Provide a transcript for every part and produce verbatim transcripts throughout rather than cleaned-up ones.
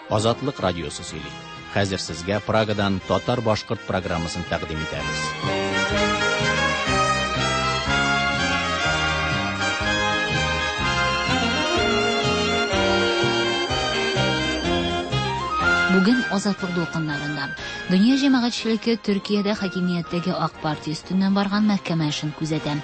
Азатлык радиосы сөйли. Хәзер сезгә Прагадан татар-башкорт программасын тәкъдим итәбез. Бүген Азатлык дулкыннарында дөнья җәмәгатьчелеге Төркиядә хакимияттәге Ак партия өстеннән барган мәхкәмә эшен күзәтә.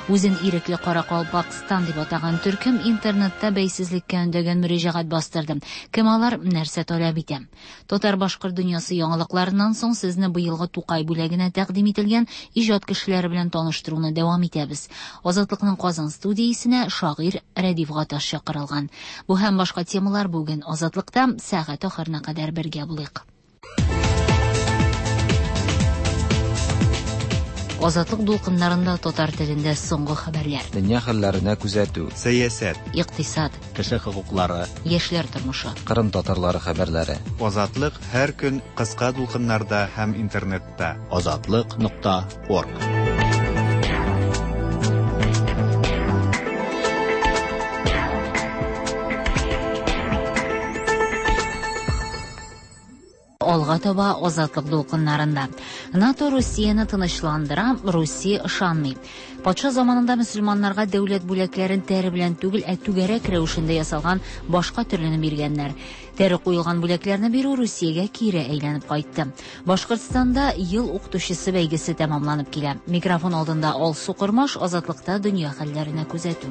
Үзен ирекле Каракалпакстан дип атаган төркем интернетта бәйсезлеккә өндәгән мөрәҗәгать бастырды. Кем алар, нәрсә таләп итә? Татар-башкорт дөньясы яңалыкларыннан соң сезне быелгы Тукай бүләгенә тәкъдим ителгән иҗат кешеләре белән таныштыруны дәвам итәбез. Азатлыкның Казан студиясенә шагыйрь Рәдиф Гаташ чакырылган. Бу һәм башка темалар бүген Азатлыкта сәгать ахырына кадәр бергә булыйк. Азатлык дулкыннарында татар телендә соңгы хәбәрләр. Дөнья хәлләренә күзәтү. Сәясәт. Икътисад. Кеше хокуклары. Яшьләр тормышы. Кырым татарлары хәбәрләре. Азатлык һәр көн кыска дулкыннарда һәм интернетта. Азатлык нокта орг. Алга таба Азатлык дулкыннарында. НАТО Русияне тынычландыра, Русия ышанмый. Патша заманында мөселманнарга дәүләт бүләкләрен тәре белән түгел, ә түгәрәк рәвешендә ясалган башка төрлене биргәннәр. Тәре куелган бүләкләрне бирү Русиягә кире әйләнеп кайтты. Башкортстанда ел укытучысы бәйгесе тәмамланып килә. Микрофон алдында Алсу Кормаш, Азатлыкта дөнья хәлләренә күзәтү.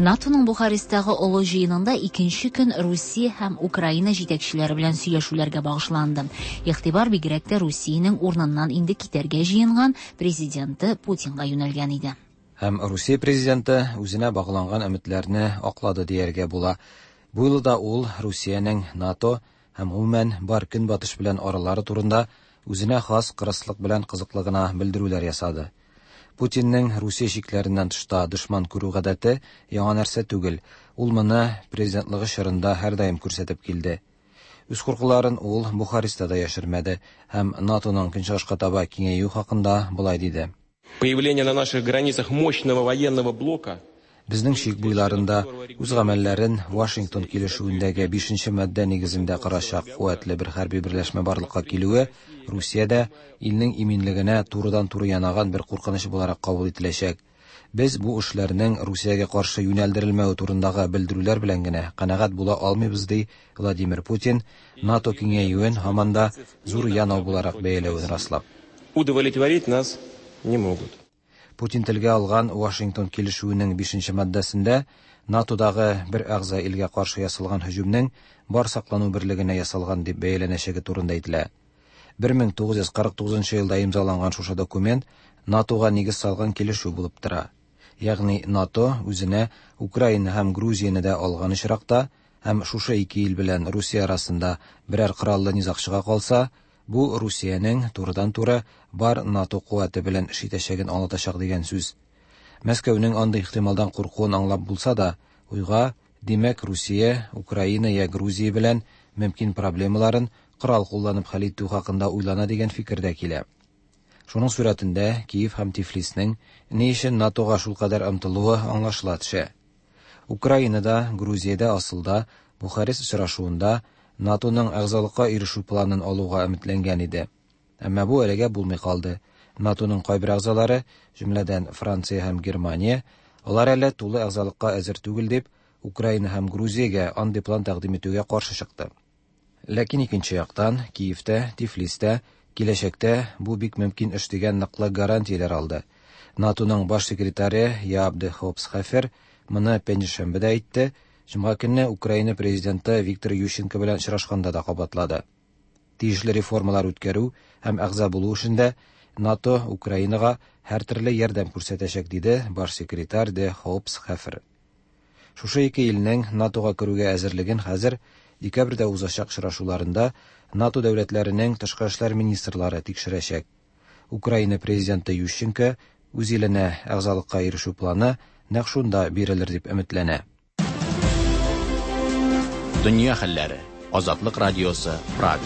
НАТОның Бухаресттагы олы җыенында икенче көн Русия һәм Украина җитәкчеләре белән сөйләшүләргә багышланды. Игътибар бигрәк тә Русиянең урыныннан инде китәргә җыенган президенты Путинга юнәлгән иде. Һәм Русия президенты үзенә багланган өметләрне аклады дияргә була. Бу юлы да ул Русиянең НАТО һәм гомумән бар көнбатыш белән аралары турында үзенә хас кырыслык белән кызыклы гына белдерүләр ясады. Путинның Русия чикләреннән тышта дошман күрү гадәте яңа нәрсә түгел. Ул моны президентлыгы чорында һәрдаим күрсәтеп килде. Үз куркуларын ул Бухарестта да яшермәде һәм НАТОның көнчыгышка таба киңәюе хакында болай диде. Появление на наших границах мощного военного блока. Безнең чик буйларында үз гамәлләрен Вашингтон килешүендәге бишенче маддә нигезендә карачак куәтле бер хәрби берләшмә барлыкка килүе Русиядә илнең иминлегенә турыдан-туры янаган бер куркыныч буларак кабул ителәчәк. Без бу эшләрнең Русиягә каршы юнәлдерелмәве турындагы белдерүләр белән генә канәгать була алмыйбыз, ди Владимир Путин, НАТО киңәюен һаман да зур янау буларак бәяләвен раслап. Удовлетворить нас не могут. Путин телгә алган Вашингтон килешүенең бишенче маддәсендә НАТОдагы бер әгъза илгә каршы ясалган һөҗүмнең бар саклану берлегенә ясалган дип бәяләнәчәге турында әйтелә. бер мең тугыз йөз кырык тугызынчы елда имзаланган шушы документ НАТОга нигез салган килешү булып тора. Ягъни НАТО үзенә Украина һәм Грузияне дә алган очракта һәм шушы ике ил белән Русия арасында берәр кораллы низаг чыга калса, бу Русиянең турыдан-туры бар НАТО куәте белән эш итәчәген аңлатачак дигән сүз. Мәскәүнең андый ихтималдан куркуын аңлап булса да, уйга, димәк, Русия, Украина я Грузия белән мөмкин проблемаларын корал кулланып хәл итү хакында уйлана дигән фикер дә килә. Шуның сурәтендә Киев һәм Тифлиснең ни өчен НАТОга шулкадәр омтылуы аңлашыла төшә. Украинада, Грузиядә асылда Бухарест очрашуында НАТОның әгъзалыкка ирешү планын алуга өметләнгән иде. Әмма бу әлегә булмый калды. НАТОның кайбер әгъзалары, җөмләдән Франция һәм Германия, алар әле тулы әгъзалыкка әзер түгел дип, Украина һәм Грузиягә андый план тәкъдим итүгә каршы чыкты. Ләкин икенче яктан Киевтә, Тифлистә киләчәктә бу бик мөмкин эш дигән ныклы гарантияләр алды. НАТОның баш секретаре Яап де Хоп Схефер моны пәнҗешәмбедә әйтте. Җомга көнне Украина президенты Виктор Ющенко белән очрашканда да кабатлады. Тиешле реформалар үткәрү һәм әгъза булу эшендә НАТО Украинага һәр төрле ярдәм күрсәтәчәк, диде баш секретарь де Хоп Схефер. Шушы ике илнең НАТОга керүгә әзерлеген хәзер декабрьдә узачак очрашуларында НАТО дәүләтләренең тышкы эшләр министрлары тикшерәчәк. Украина президенты Ющенко үз иленә әгъзалыкка ирешү планы нәкъ шунда бирелер дип өметләнә. Дөнья хәлләре. Азатлык радиосы, Прага.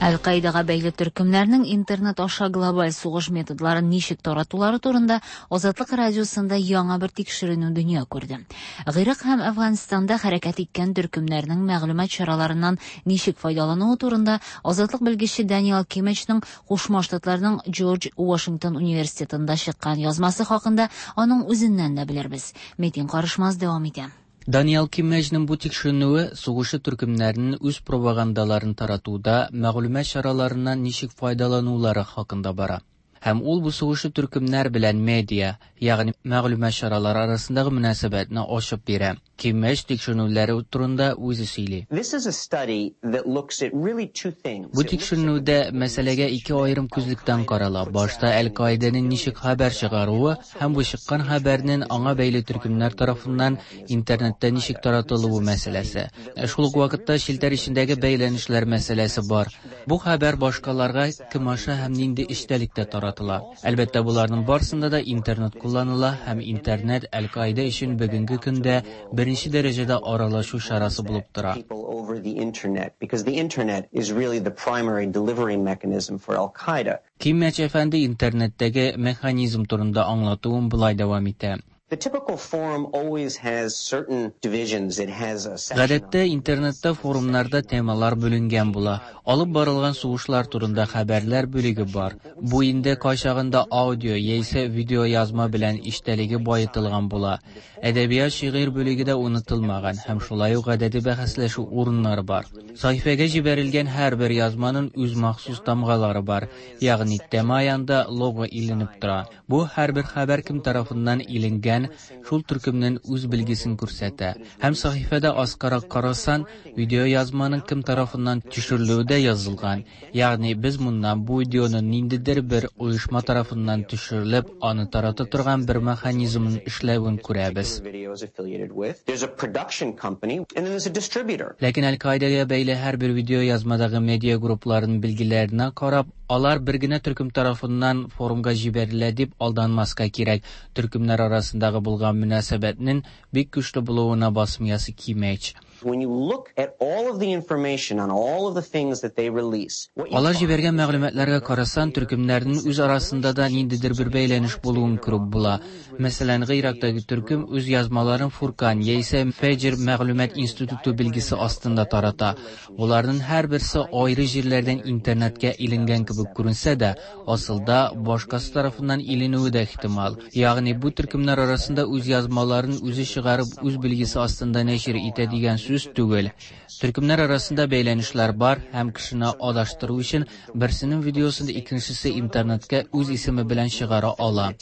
Әл-Каидага бәйле төркемнәрнең интернет аша глобаль сугыш методларын ничек таратулары турында Азатлык радиосында яңа бер тикшеренү дөнья күрде. Гыйрак һәм Әфганстанда хәрәкәт иткән төркемнәрнең мәгълүмат чараларыннан ничек файдалануы турында Азатлык белгече Даниэл Кимечның Кушма Штатларның Джордж Вашингтон университетында чыккан язмасы хакында аның үзеннән дә белербез. Метин Карышмаз дәвам итә. Даниэл Киммәҗнең бу тикшеренүе сугышы төркемнәренең үз пропагандаларын таратуда мәгълүмат чараларыннан ничек файдаланулары хакында бара. Һәм ул бу сугышы төркемнәр белән медиа, ягъни мәгълүмат чаралары арасындагы мөнәсәбәтне ачып бирә. Киммәҗ тикшеренүләре турында үзе сөйли. Бу тикшеренүдә мәсьәләгә ике аерым күзлектән карала. Башта Әл-Каиданың ничек хәбәр чыгаруы һәм бу чыккан хәбәрнең аңа бәйле төркемнәр тарафыннан интернетта ничек таратылуы мәсьәләсе. Шул ук вакытта челтәр эчендәге бәйләнешләр мәсьәләсе бар. Бу хәбәр башкаларга кем аша һәм нинди эчтәлектә таратыла. Әлбәттә, буларның барсында да интернет кулланыла һәм интернет Әл-Каида өчен бүгенге көндә беренче дәрәҗәдә аралашу чарасы булып тора. Киммәч әфәнде интернеттәге механизм турында аңлатуын болай дәвам итә. Гадәттә интернетта форумнарда темалар бүленгән була. Алып барылган сугышлар турында хәбәрләр бүлеге бар. Бу инде кайчагында аудио яисә видео язма белән эчтәлеге баетылган була. Әдәбият, шигырь бүлеге дә онытылмаган һәм шулай ук гадәти бәхәсләшү урыннары бар. Сәхифәгә җибәрелгән һәрбер язманың үз махсус тамгалары бар, ягъни тема янында лого иленеп тора. Бу һәрбер хәбәр кем тарафыннан иленгән, шул төркемнең үз билгесен күрсәтә. Һәм сәхифәдә аскарак карасан, видео язманың кем тарафыннан төшерелүе дә язылган. Ягъни без моннан бу видеоны ниндидер бер оешма тарафыннан төшерелеп, аны тарата торган бер механизмның эшләвен күрәбез. Ләкин Әл-Каидага бәйле һәрбер видео язмадагы медиа группларының билгеләренә карап, алар бер генә төркем тарафыннан форумга җибәрелә дип алданмаска кирәк. Төркемнәр арасындагы булган мөнәсәбәтнең бик көчле булуына басым ясый Киммәч. Алар җибәргән мәгълүматларга карасан, төркемнәрнең үз арасында да ниндидер бер бәйләнеш булуын күреп була. Мәсәлән, Гыйрактагы төркем үз язмаларын Фуркан яисә Фәҗр мәгълүмат институты билгесе астында тарата. Буларның һәрберсе аеры җирләрдән интернетка иленгән кебек күренсә дә, асылда башкасы тарафыннан иленүе дә ихтимал. Ягъни бу төркемнәр арасында үз язмаларын үзе чыгарып, үз билгесе астында нәшир итә дигән сүз түгел. Төркемнәр арасында бәйләнешләр бар һәм кешене адаштыру өчен берсенең видеосын икенчесе интернетка үз исеме белән чыгара ала.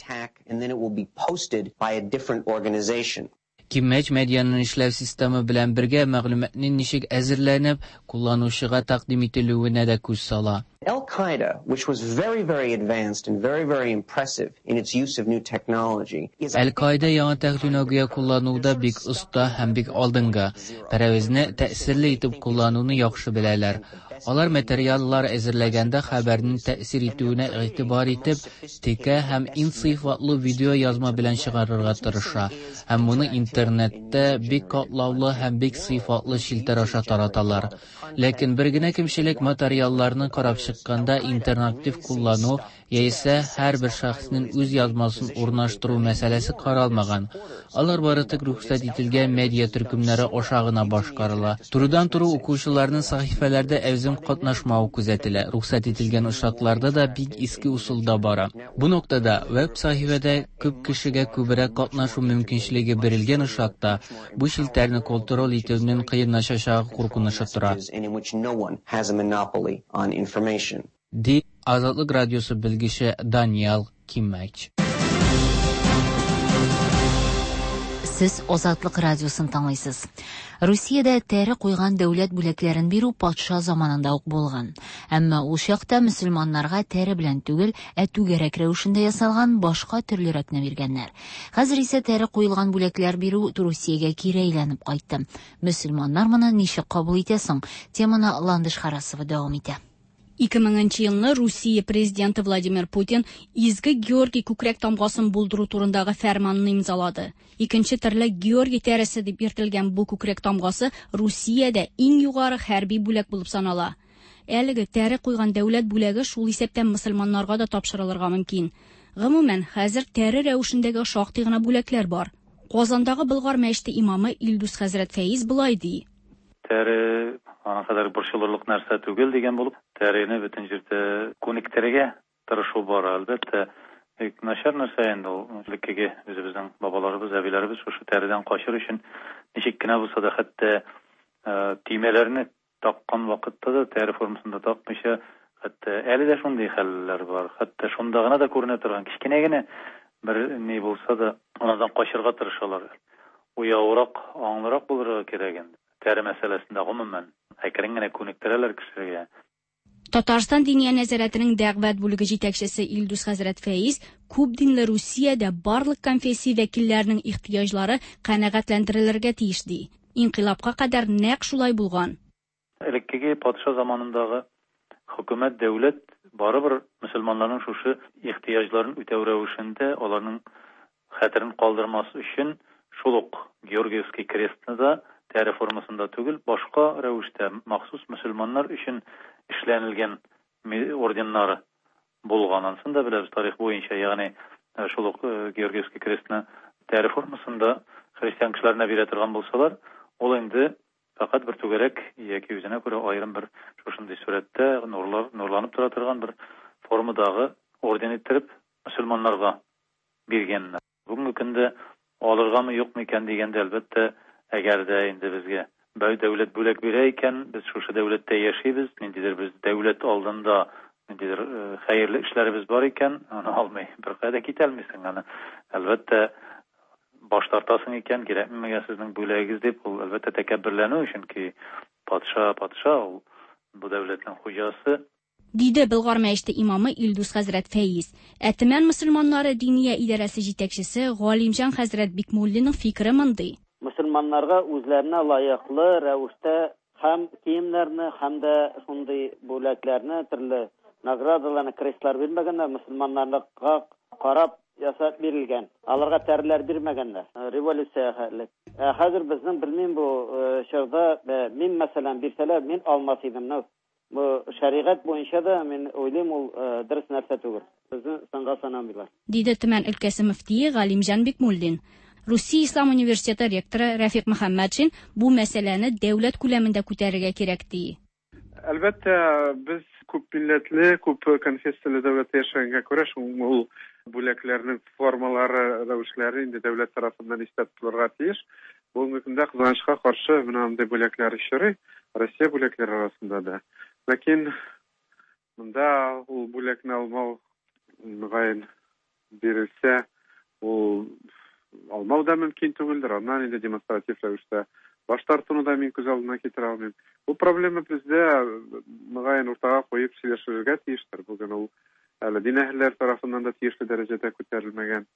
Киммәч медианың эшләү системы белән бергә мәгълүматның ничек әзерләнеп, кулланучыга тәкъдим ителүенә дә күз сала. Al-Qaeda, which was very, very advanced and very, very impressive in its use of new technology, is Әл-Каида яңа технология куллануда бик оста һәм бик алдынгы. Пәрәвезне тәэсирле итеп куллануны яхшы беләләр. Алар материаллар әзерләгәндә хәбәрнең тәэсир итүенә игътибар итеп, текә һәм иң сыйфатлы видео язма белән чыгарырга тырыша. Һәм моны интернетта бик катлаулы һәм бик сыйфатлы челтәр аша тараталар. Ләкин бер генә кимчелек материалларны карап чыкканда интерактив куллану яисә һәрбер шәхеснең үз язмасын урнаштыру мәсьәләсе каралмаган. Алар бары тик рөхсәт ителгән медиа төркемнәре аша гына башкарыла. Турыдан-туры укучыларның сәхифәләрдә әүзем катнашмавы күзәтелә. Рөхсәт ителгән очракларда да бик иске усулда бара. Бу ноктада веб сәхифәдә күп кешегә күбрәк катнашу мөмкинчелеге бирелгән очракта бу челтәрне контроль итүнең кыенлашачагы куркынычы тора. Ди Азатлык радиосы белгече Даниэл Киммәч. Сез Азатлык радиосын тыңлыйсыз. Русиядә тәре куйган дәүләт бүләкләрен бирү патша заманында ук булган. Әмма ул чакта мөселманнарга тәре белән түгел, ә түгәрәк рәвешендә ясалган башка төрлерәкне биргәннәр. Хәзер исә тәре куелган бүләкләр бирү Русиягә кире әйләнеп кайтты. Мөселманнар моны ничек кабул итә соң? Теманы Ландыш Харасова дәвам итә. ике меңенче елны Русия президенты Владимир Путин Изге Георгий күкрәк тамгасын булдыру турындагы фәрманны имзалады. Икенче төрле Георгий тәресе дип йөртелгән бу күкрәк тамгасы Русиядә иң югары хәрби бүләк булып санала. Әлеге тәре куйган дәүләт бүләге шул исәптән мөселманнарга да тапшырылырга мөмкин. Гомумән, хәзер тәре рәвешендәге шактый гына бүләкләр бар. Казандагы Болгар мәчете имамы Илдус хәзрәт Фәиз болай ди. Тәре аңа кадәр борчылырлык нәрсә түгел дигән булып, тәрене бөтен җирдә күнектерергә тырышу бар, әлбәттә. Бик начар нәрсә инде ул. Элеккеге үзебезнең бабаларыбыз, әбиләребез шушы тәредән качыр өчен ничек кенә булса да хәтта төймәләрне таккан вакытта да тәре формасында такмыйча, хәтта әле дә шундый хәлләр бар. Хәтта шунда гына да күренә торган кечкенә генә бер ни булса да, анардан качырга тырышалар. Уяурак, аңлырак булырга кирәк инде. Тәре мәсьәләсендә гомумән әкрен генә күнектерәләр кешегә. Татарстан Диния нәзарәтенең дәгъват бүлеге җитәкчесе Илдус хәзрәт Фәиз күп динле Русиядә барлык конфессия вәкилләренең ихтыяҗлары канәгатьләндерелергә тиеш ди. Инкыйлабка кадәр нәкъ шулай булган. Элеккеге патша заманындагы хөкүмәт, дәүләт барыбер мөселманнарның шушы ихтыяҗларын үтәү рәвешендә аларның хәтерен калдырмас өчен шул ук Георгиевский крестны да тәре формасында түгел, башка рәвештә махсус мөселманнар өчен эшләнелгән орденнары булган. Ансын да беләбез тарих буенча, ягъни шул ук Георгиевский крестны тәре формасында христиан кешеләренә бирә торган булсалар, ул инде фақат бер түгәрәк яки үзенә күрә аерым бер шушындый сурәттә нурлар, нурланып тора торган бер формадагы орден иттереп мөселманнарга биргәннәр. Бүгенге көндә алыргамы юкмы икән дигәндә, әлбәттә, әгәр дә инде безгә бәй дәүләт бүләк бирә икән, без шушы дәүләттә яшибез, ниндидер без дәүләт алдында ниндидер хәерле эшләребез бар икән, аны алмый беркая да китә алмыйсың. Аны әлбәттә баш тартасың икән, кирәкме миңа сезнең бүләгегез дип, ул әлбәттә тәкәбберләнү, чөнки патша патша ул, бу дәүләтнең хуҗасы. Диде Болгар мәчете имамы Илдус хәзрәт Фәиз. Ә Төмән мөселманнары Диния идарәсе җитәкчесе Галимҗан хәзрәт Бикмуллинның фикере мондый. Мөселманнарга үзләренә лаеклы рәвештә һәм киемнәрне, һәм дә шундый бүләкләрне, төрле наградаларны, крестлар бирмәгәннәр, мөселманнарга карап ясап бирелгән. Аларга тәреләр бирмәгәннәр. Революция хәле. Ә хәзер безнең белмим бу чорда, мин мәсәлән бирсәләр, мин алмас идем. Бу шәригать буенча да мин уйлыйм, ул дөрес нәрсә түгел. Безне сынга санамыйлар. Диде Төмән өлкәсе мөфтие Галимҗан Бикмуллин. Русия Ислам университеты ректоры Рәфик Мөхәммәтшин бу мәсьәләне дәүләт күләмендә күтәрергә кирәк ди. Әлбәттә, без күп милләтле, күп конфессияле дәүләттә яшәгәнгә күрә, шул бүләкләрнең формалары, рәвешләре инде дәүләт тарафыннан истә тотылырга тиеш. Бүгенге көндә кызганычка каршы менә мондый бүләкләр очрый, Россия бүләкләре арасында да. Ләкин монда ул бүләкне алмау мөгаен бирелсә, ул алмау да мөмкин түгелдер. Аннан инде демонстратив рәвештә баш тартуны да мин күз алдына китерә алмыйм. Бу проблема бездә мөгаен уртага куеп сөйләшергә тиештер. Бүген ул әле дин әһелләре тарафыннан да тиешле дәрәҗәдә күтәрелмәгән.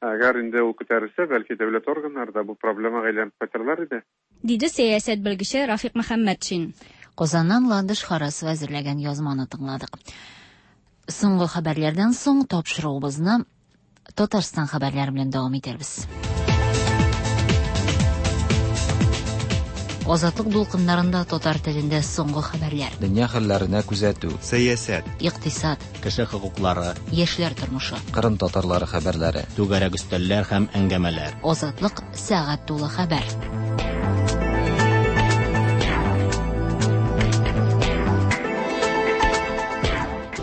Әгәр инде ул күтәрелсә, бәлки дәүләт органнары да бу проблемага әйләнеп кайтырлар иде. Диде сәясәт белгече Рафик Мөхәммәтшин. Казаннан Ландыш Харасова әзерләгән язманы тыңладык. Соңгы хәбәрләрдән соң тапшыруыбызны Татарстан хәбәрләре белән дәвам итәрбез. Азатлык дулкыннарында татар телендә соңгы хәбәрләр. Дөнья хәлләренә күзәтү, сәясәт, икътисад, кеше хокуклары, яшьләр тормышы, Кырым татарлары хәбәрләре, түгәрәк өстәлләр һәм әңгәмәләр. Азатлык сәгать тулы хәбәр.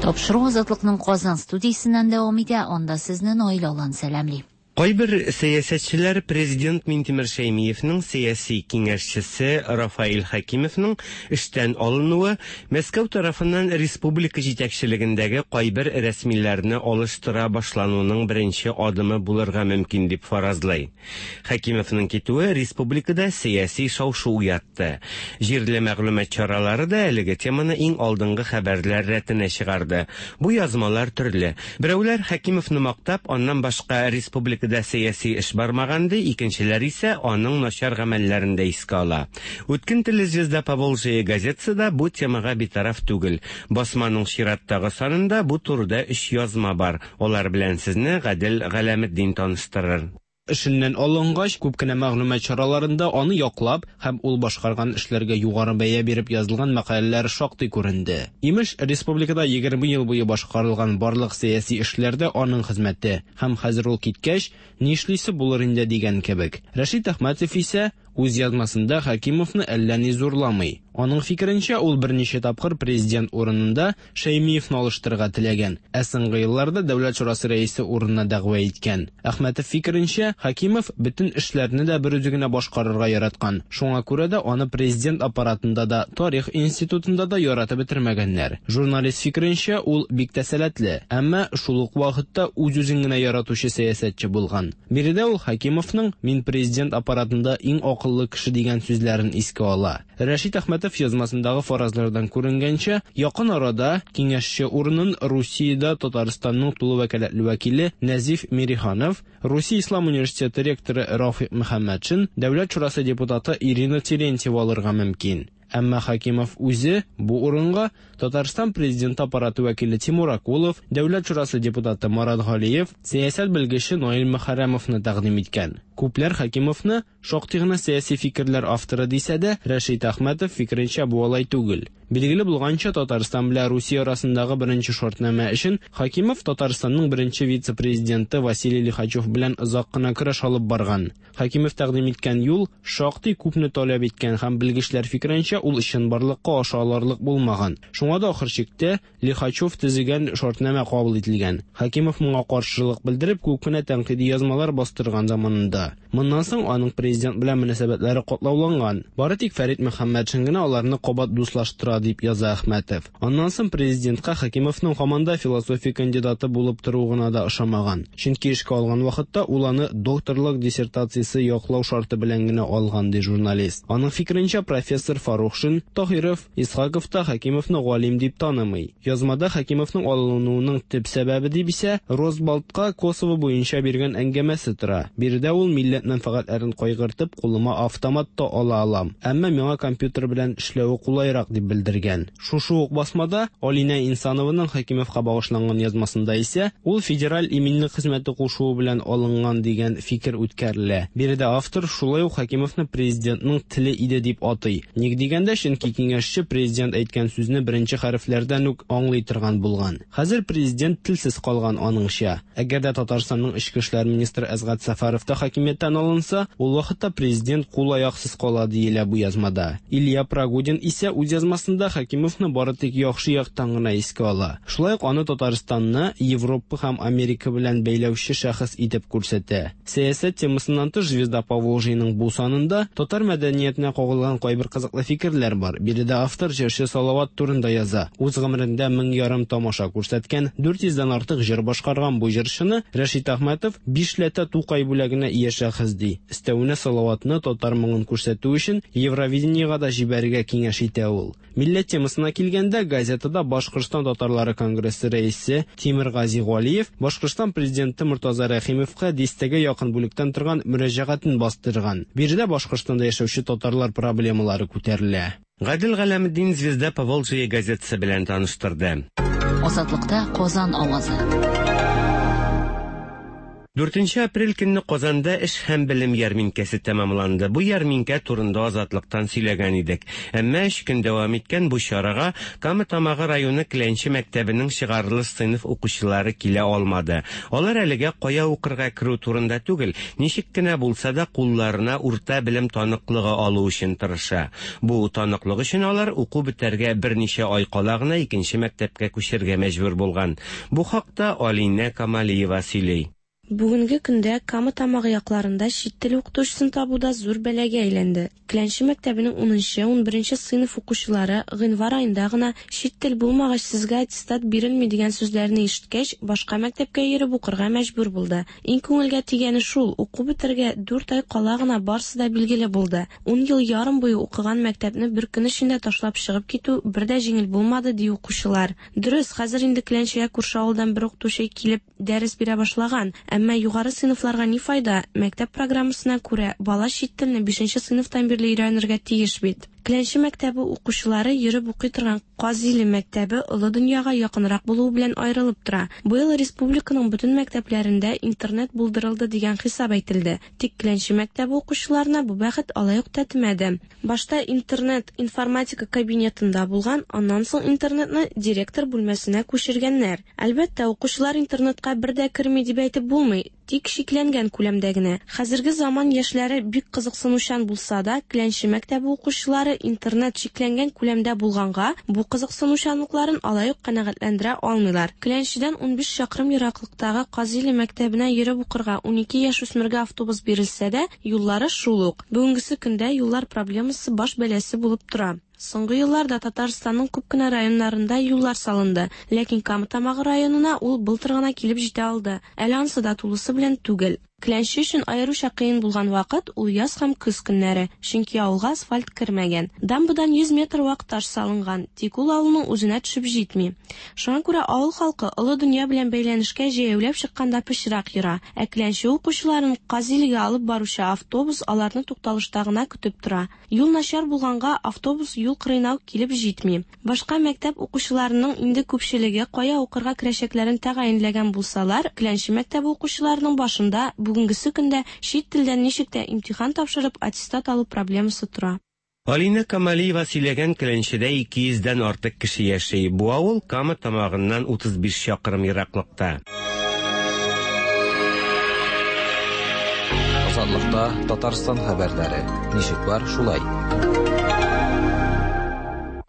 Тапшыру Азатлыкның Казан студиясеннән дәвам итә. Анда сезне Наил Алан сәламли. Кайбер сәясәтчеләр президент Минтимер Шәймиевның сәяси киңәшчесе Рафаил Хәкимовның эштән алынуы Мәскәү тарафыннан республика җитәкчелегендәге кайбер рәсмиләрне алыштыра башлануның беренче адымы булырга мөмкин дип фаразлый. Хәкимовның китүе республикада сәяси шау-шу уятты. Җирле мәгълүмат чаралары да әлеге теманы иң алдынгы хәбәрләр рәтенә чыгарды. Бу язмалар төрле. Берәүләр Хәкимовны мактап, аннан башка республика да сәяси эш бармаганды, икенчеләр исә аның начар гамәлләрен дә искә ала. Үткен теле «Звезда Поволжья» газетасы да бу темага битараф түгел. Басманың чираттагы санында бу турыда өч язма бар. Алар белән сезне Гадел Галәметдин таныштырыр. Эшеннән алынгач, күп кенә мәгълүмат чараларында аны яклап һәм ул башкарган эшләргә югары бәя биреп язылган мәкаләләр шактый күренде. Имеш, республикада егерме ел буе башкарылган барлык сәяси эшләр дә аның хезмәте, һәм хәзер ул киткәч, нишлисе булыр инде дигән кебек. Рәшит Әхмәтов исә үз язмасында Хәкимовны әллә ни зурламый. Аның фикеренчә, ул берничә тапкыр президент урынында Шәймиевны алыштырырга теләгән, ә соңгы елларда Дәүләт шурасы рәисе урынына дәгъва иткән. Әхмәтов фикеренчә, Хәкимов бөтен эшләрне дә бер үзе генә башкарырга яраткан. Шуңа күрә дә аны президент аппаратында да, тарих институтында да яратып бетермәгәннәр. Журналист фикеренчә, ул бик тә сәләтле, әмма шул ук вакытта үз-үзен генә яратучы сәясәтче булган. Биредә ул Хәкимовның "Мин президент аппаратында иң акыллы кеше" дигән сүзләрен искә ала. Рәшит Әхмәтов язмасындагы фаразлардан күренгәнчә, якын арада киңәшче урынын Русиядә Татарстанның тулы вәкаләтле вәкиле Нәзиф Мириханов, Русия Ислам университеты ректоры Рафик Мөхәммәтшин, Дәүләт шурасы депутаты Ирина Терентьева алырга мөмкин. Әмма Хәкимов үзе бу урынга Татарстан президенты аппараты вәкиле Тимур Акулов, Дәүләт шурасы депутаты Марат Галиев, сәясәт белгече Наил Мөхәррәмовны тәкъдим иткән. Күпләр Хәкимовны шактый гына сәяси фикерләр авторы дисә дә, Рәшит Әхмәтов фикеренчә бу алай түгел. Билгеле булганча, Татарстан белән Русия арасындагы беренче шартнамә өчен Хәкимов Татарстанның беренче вице-президенты Василий Лихачев белән озак кына көрәш алып барган. Хәкимов тәкъдим иткән юл шактый күпне таләп иткән һәм белгечләр фикеренчә ул чынбарлыкка аша алырлык булмаган. Шуңа да ахыр чиктә Лихачев төзегән шартнамә кабул ителгән. Хәкимов моңа каршылык белдереп күп кенә тәнкыйди язмалар бастырган заманында. Моннан соң аның президент белән мөнәсәбәтләре катлауланган. Бары тик Фәрит Мөхәммәтшин генә аларны кабат дуслаштыра дип яза Әхмәтов. Аннан соң президентка Хәкимовның һаман да философия кандидаты булып торуы гына да ошамаган. Чөнки эшкә алган вакытта ул аны докторлык диссертациясе яклау шарты белән генә алган, ди журналист. Аның фикеренчә, профессор Фарухшин, Таһиров, Исхаков та Хәкимовны галим дип танымый. Язмада Хәкимовның алынуының төп сәбәбе дип исә Росбалтка Косово буенча биргән әңгәмәсе тора. Биредә ул милләт мәнфәгатьләрен кайгыртып, кулыма автомат та ала алам, әмма миңа компьютер белән эшләве кулайрак дип белдергән. Шушы ук басмада Алинә Инсанованың Хәкимовка багышланган язмасында исә ул федераль иминлек хезмәте кушуы белән алынган дигән фикер үткәрелә. Биредә автор шулай ук Хәкимовны президентның теле иде дип атый. Ник дигәндә, чөнки киңәшче президент әйткән сүзне беренче хәрефләрдән үк аңлый торган булган. Хәзер президент телсез калган аныңча. Әгәр дә Татарстанның эчке эшләр министры Әсгать Сәфәров та хакимияттән алынса, ул вакытта президент кул-аяксыз кала диелә бу язмада. Илья Прогодин исә үз язмасында Хәкимовны бары тик яхшы яктан гына искә ала. Шулай ук аны Татарстанны Европа һәм Америка белән бәйләүче шәхес итеп күрсәтә. Сәясәт темасыннан тыш Звезда Поволжьеның бу санында татар мәдәниятенә кагылган кайбер кызыклы фикерләр бар. Биредә автор җырчы Салават турында яза. Үз гомерендә мең ярым тамаша күрсәткән, дүрт йөздән артык җыр башкарган бу җырчыны Рәшит Әхмәтов бишләтә Тукай бүләгенә ия шәхес ди. Өстәвенә Салаватны татар моңын күрсәтү өчен Евровидениега да җибәрергә киңәш итә ул. Милләт темасына килгәндә, газетада Башкортстан татарлары конгрессы рәисе Тимиргази Галиев Башкортстан президенты Мортаза Рәхимовка дистәгә якын бүлектән торган мөрәҗәгатен бастырган. Биредә Башкортстанда яшәүче татарлар проблемалары күтәрелә. Гадел Галәметдин Звезда Поволжье газетасы белән таныштырды. Азатлыкта Казан авазы. Дүртенче апрель көнне Казанда эш һәм белем ярминкәсе тәмамланды. Бу ярминкә турында Азатлыктан сөйләгән идек. Әмма өч көн дәвам иткән бу чарага Кама Тамагы районы Кләнче мәктәбенең чыгарылыш сыйныф укучылары килә алмады. Алар әлегә кая укырга керү турында түгел, ничек кенә булса да кулларына урта белем таныклыгы алу өчен тырыша. Бу таныклык өчен алар уку бетәргә берничә ай кала гына икенче мәктәпкә күчәргә мәҗбүр булган. Бу хакта Алинә Камалиева сөйли. Бүгенге көндә Кама Тамагы якларында чит тел укытучысын табу да зур бәлагә әйләнде. Кләнче мәктәбенең унынчы, унберенче сыйныф укучылары гыйнвар аенда гына чит тел булмагач сезгә аттестат бирелми дигән сүзләрне ишеткәч, башка мәктәпкә йөреп укырга мәҗбүр булды. Иң күңелгә тигәне шул, уку бетәргә дүрт ай кала гына барысы да билгеле булды. Ун ел ярым буе укыган мәктәпне бер көн эчендә ташлап чыгып китү бер дә җиңел булмады, ди укучылар. Дөрес, хәзер инде Кләнчегә күрше авылдан бер укытучы килеп дәрес бирә башлаган. Әмма югары сыйныфларга ни файда? Мәктәп программасына күрә бала чит телне бишенче сыйныфтан бирле өйрәнергә тиеш бит. Кләнче мәктәбе укучылары йөреп укый торган Казиле мәктәбе олы дөньяга якынрак булуы белән аерылып тора. Быел республиканың бөтен мәктәпләрендә интернет булдырылды дигән хисап әйтелде. Тик Кләнче мәктәбе укучыларына бу бәхет алай ук тәтемәде. Башта интернет информатика кабинетында булган, аннан соң интернетны директор бүлмәсенә күчергәннәр. Әлбәттә, укучылар интернетка бер дә керми дип әйтеп булмый, тик чикләнгән күләмдә генә. Хәзерге заман яшьләре бик кызыксынучан булса да, Кләнче мәктәбе укучылары интернет чикләнгән күләмдә булганга, бу кызыксынучанлыкларын алай ук канәгатьләндерә алмыйлар. Кләнчедән унбиш чакрым ераклыктагы Казиле мәктәбенә йөреп укырга унике яшүсмергә автобус бирелсә дә, юллары шул ук. Бүгенгесе көндә юллар проблемасы баш бәласе булып тора. Соңгы елларда Татарстанның күп кенә районнарында юллар салынды, ләкин Кама Тамагы районына ул былтыр гына килеп җитә алды. Әле ансы да тулысы белән түгел. Кләнче өчен аеруча кыен булган вакыт ул яз һәм көз көннәре, чөнки авылга асфальт кермәгән. Дамбадан йөз метр вак таш салынган, тик ул авылның үзенә төшеп җитми. Шуңа күрә авыл халкы олы дөнья белән бәйләнешкә җәяүләп чыкканда пычрак йора. Ә Кләнче укучыларын Казилегә алып баручы автобус аларны тукталышта гына көтеп тора. Юл начар булганга автобус юл кырыена ук килеп җитми. Башка мәктәп укучыларының инде күпчелеге кая укырга керәчәкләрен тәгаенләгән булсалар, Кләнче мәктәбе укучыларының башында бүгенгесе көндә чит телдән ничек тә имтихан тапшырып аттестат алу проблемасы тора. Алина Камалиева сөйләгән Кләнчедә ике йөздән артык кеше яши. Бу авыл Кама Тамагыннан утыз биш чакрым ераклыкта. Азатлыкта Татарстан хәбәрләре. Ничек бар, шулай.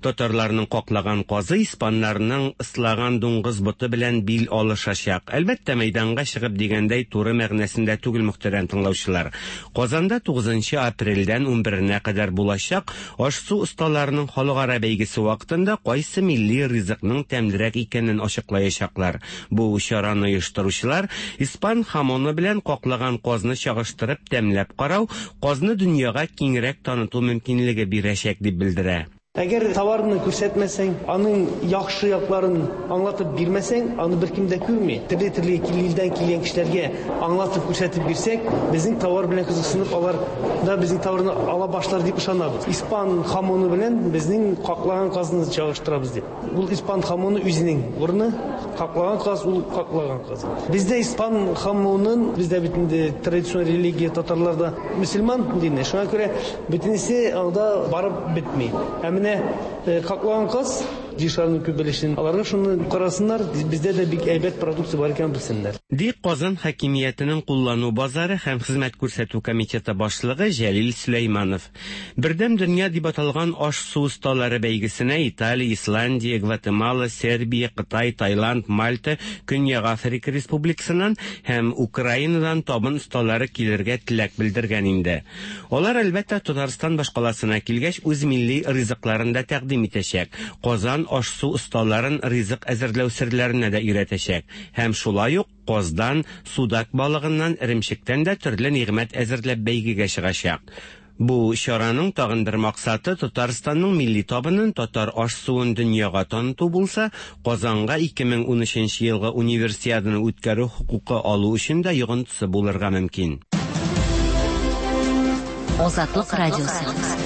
Татарларның каклаган казы испаннарның ыслаган дуңгыз боты белән бил алышачак. Әлбәттә, мәйданга чыгып дигәндәй туры мәгънәсендә түгел, мөхтәрәм тыңлаучылар. Казанда тугызынчы апрельдән унберенә кадәр булачак аш-су осталарының халыкара бәйгесе вакытында кайсы милли ризыкның тәмлерәк икәнен ачыклаячаклар. Бу чараны оештыручылар испан хамоны белән каклаган казны чагыштырып тәмләп карау, казны дөньяга киңрәк таныту мөмкинлеге бирәчәк дип белдерә. Әгәр товарны күрсәтмәсәң, аның яхшы якларын аңлатып бирмәсәң, аны беркем дә күрми. Төрле-төрле илдән килгән кешеләргә аңлатып күрсәтеп бирсәк, безнең товар белән кызыксынып, алар да безнең товарны ала башлар дип ышанабыз. Испан хамоны белән безнең каклаган казны чагыштырабыз дип. Ул испан хамоны үзенең урыны, каклаган каз ул каклаган каз. Бездә испан хамонын, бездә бит инде традицион религия татарларда мөселман дине, шуңа күрә бөтенесе анда барып бетми. Ә каклаган каз җишләрнең күп өлешен аларга шуны карасыннар, бездә дә бик әйбәт продукция бар икәнен белсеннәр. Ди Казан хакимиятенең куллану базары һәм хезмәт күрсәтү комитеты башлыгы Җәлил Сөләйманов. Бердәм дөнья дип аталган аш-су осталары бәйгесенә Италия, Исландия, Гватемала, Сербия, Кытай, Таиланд, Мальта, Көньяк Африка Республикасыннан һәм Украинадан табын осталары килергә теләк белдергән инде. Алар әлбәттә Татарстан башкаласына килгәч үз милли ризыкларын да тәкъдим итәчәк. Казан аш-су осталарын ризык әзерләү серләренә дә өйрәтәчәк. Һәм шулай ук каздан, судак балыгыннан, эремчектән дә төрле нигъмәт әзерләп бәйгегә чыгачак. Бу чараның тагын бер максаты Татарстанның милли табынын, татар аш-суын дөньяга таныту булса, Казанга ике мең унөченче елгы универсиаданы үткәрү хокукы алу өчен дә йогынтысы булырга мөмкин. Азатлык радиосы.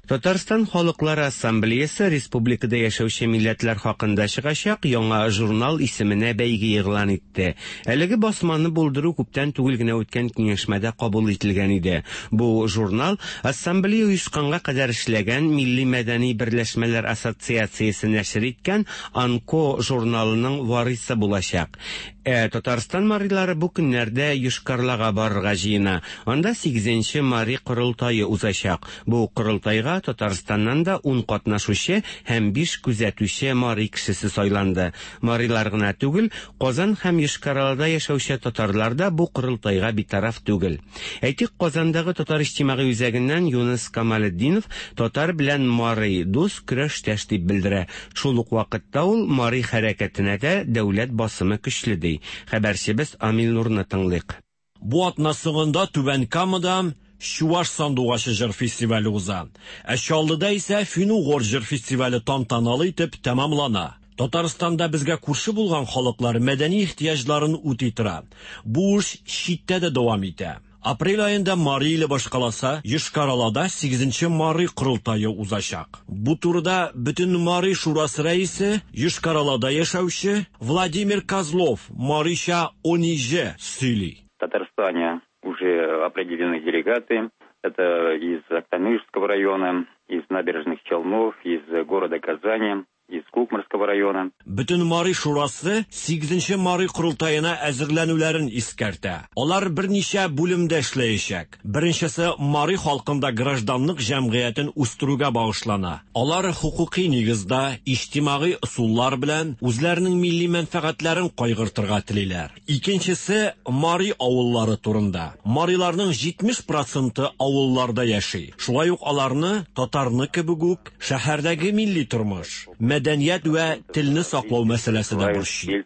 Татарстан Халыклары Ассамблеясы республикада яшәүче милләтләр хакында чыгачак яңа журнал исеменә бәйге игълан итте. Әлеге басманы булдыру күптән түгел генә үткән киңәшмәдә кабул ителгән иде. Бу журнал Ассамблея оешканга кадәр эшләгән Милли мәдәни берләшмәләр ассоциациясе нәшер иткән Анко журналының варисы булачак. Ә Татарстан марилары бу көннәрдә Йошкар-Олага барырга җыена. Анда сигезенче мари корылтае узачак. Бу корылтайга Татарстаннан да ун катнашучы һәм биш күзәтүче мари кешесе сайланды. Марилар гына түгел, Казан һәм Йошкар-Олада яшәүче татарлар да бу корылтайга битараф түгел. Әйтик, Казандагы татар иҗтимагый үзәгеннән Юныс Камалетдинов татар белән мари дус көрәштәш дип белдерә. Шул ук вакытта ул мари хәрәкәтенә дә дәүләт басымы көчле ди. Хәбәрчебез Амил Нурны тыңлыйк. Бу атна соңында Түбән Камада Чуваш сандугачы җыр фестивале уза. Ә Чаллыда исә Фин-угор җыр фестивале тантаналы итеп тәмамлана. Татарстанда безгә күрше булган халыклар мәдәни ихтыяҗларын үти тора. Бу эш читтә дә дәвам итә. Апрель аенда Мари иле башкаласы Йошкар-Олада сигезенче Мари корылтае узачак. Бу турыда Бөтен Мари шурасы рәисе, Йошкар-Олада яшәүче Владимир Козлов марича Ониже сөйли. В Татарстане уже определены делегаты. Это из Актанышского района, из Набережных Челнов, из города Казани, из Кукморского района. Бөтен Мари шурасы сигезенче Мари корылтаена әзерләнүләрен искәртә. Алар берничә бүлемдә эшләячәк. Беренчесе Мари халкында гражданлык җәмгыятен үстерүгә багышлана. Алар хукуки нигездә иҗтимагый ысуллар белән үзләренең милли мәнфәгатьләрен кайгыртырга телиләр. Икенчесе Мари авыллары турында. Мариларның җитмеш проценты авылларда яши. Шулай ук аларны татарны кебек үк шәһәрдәге милли тормыш, мәдәният вә телне саклау мәсьәләсе дә борчый.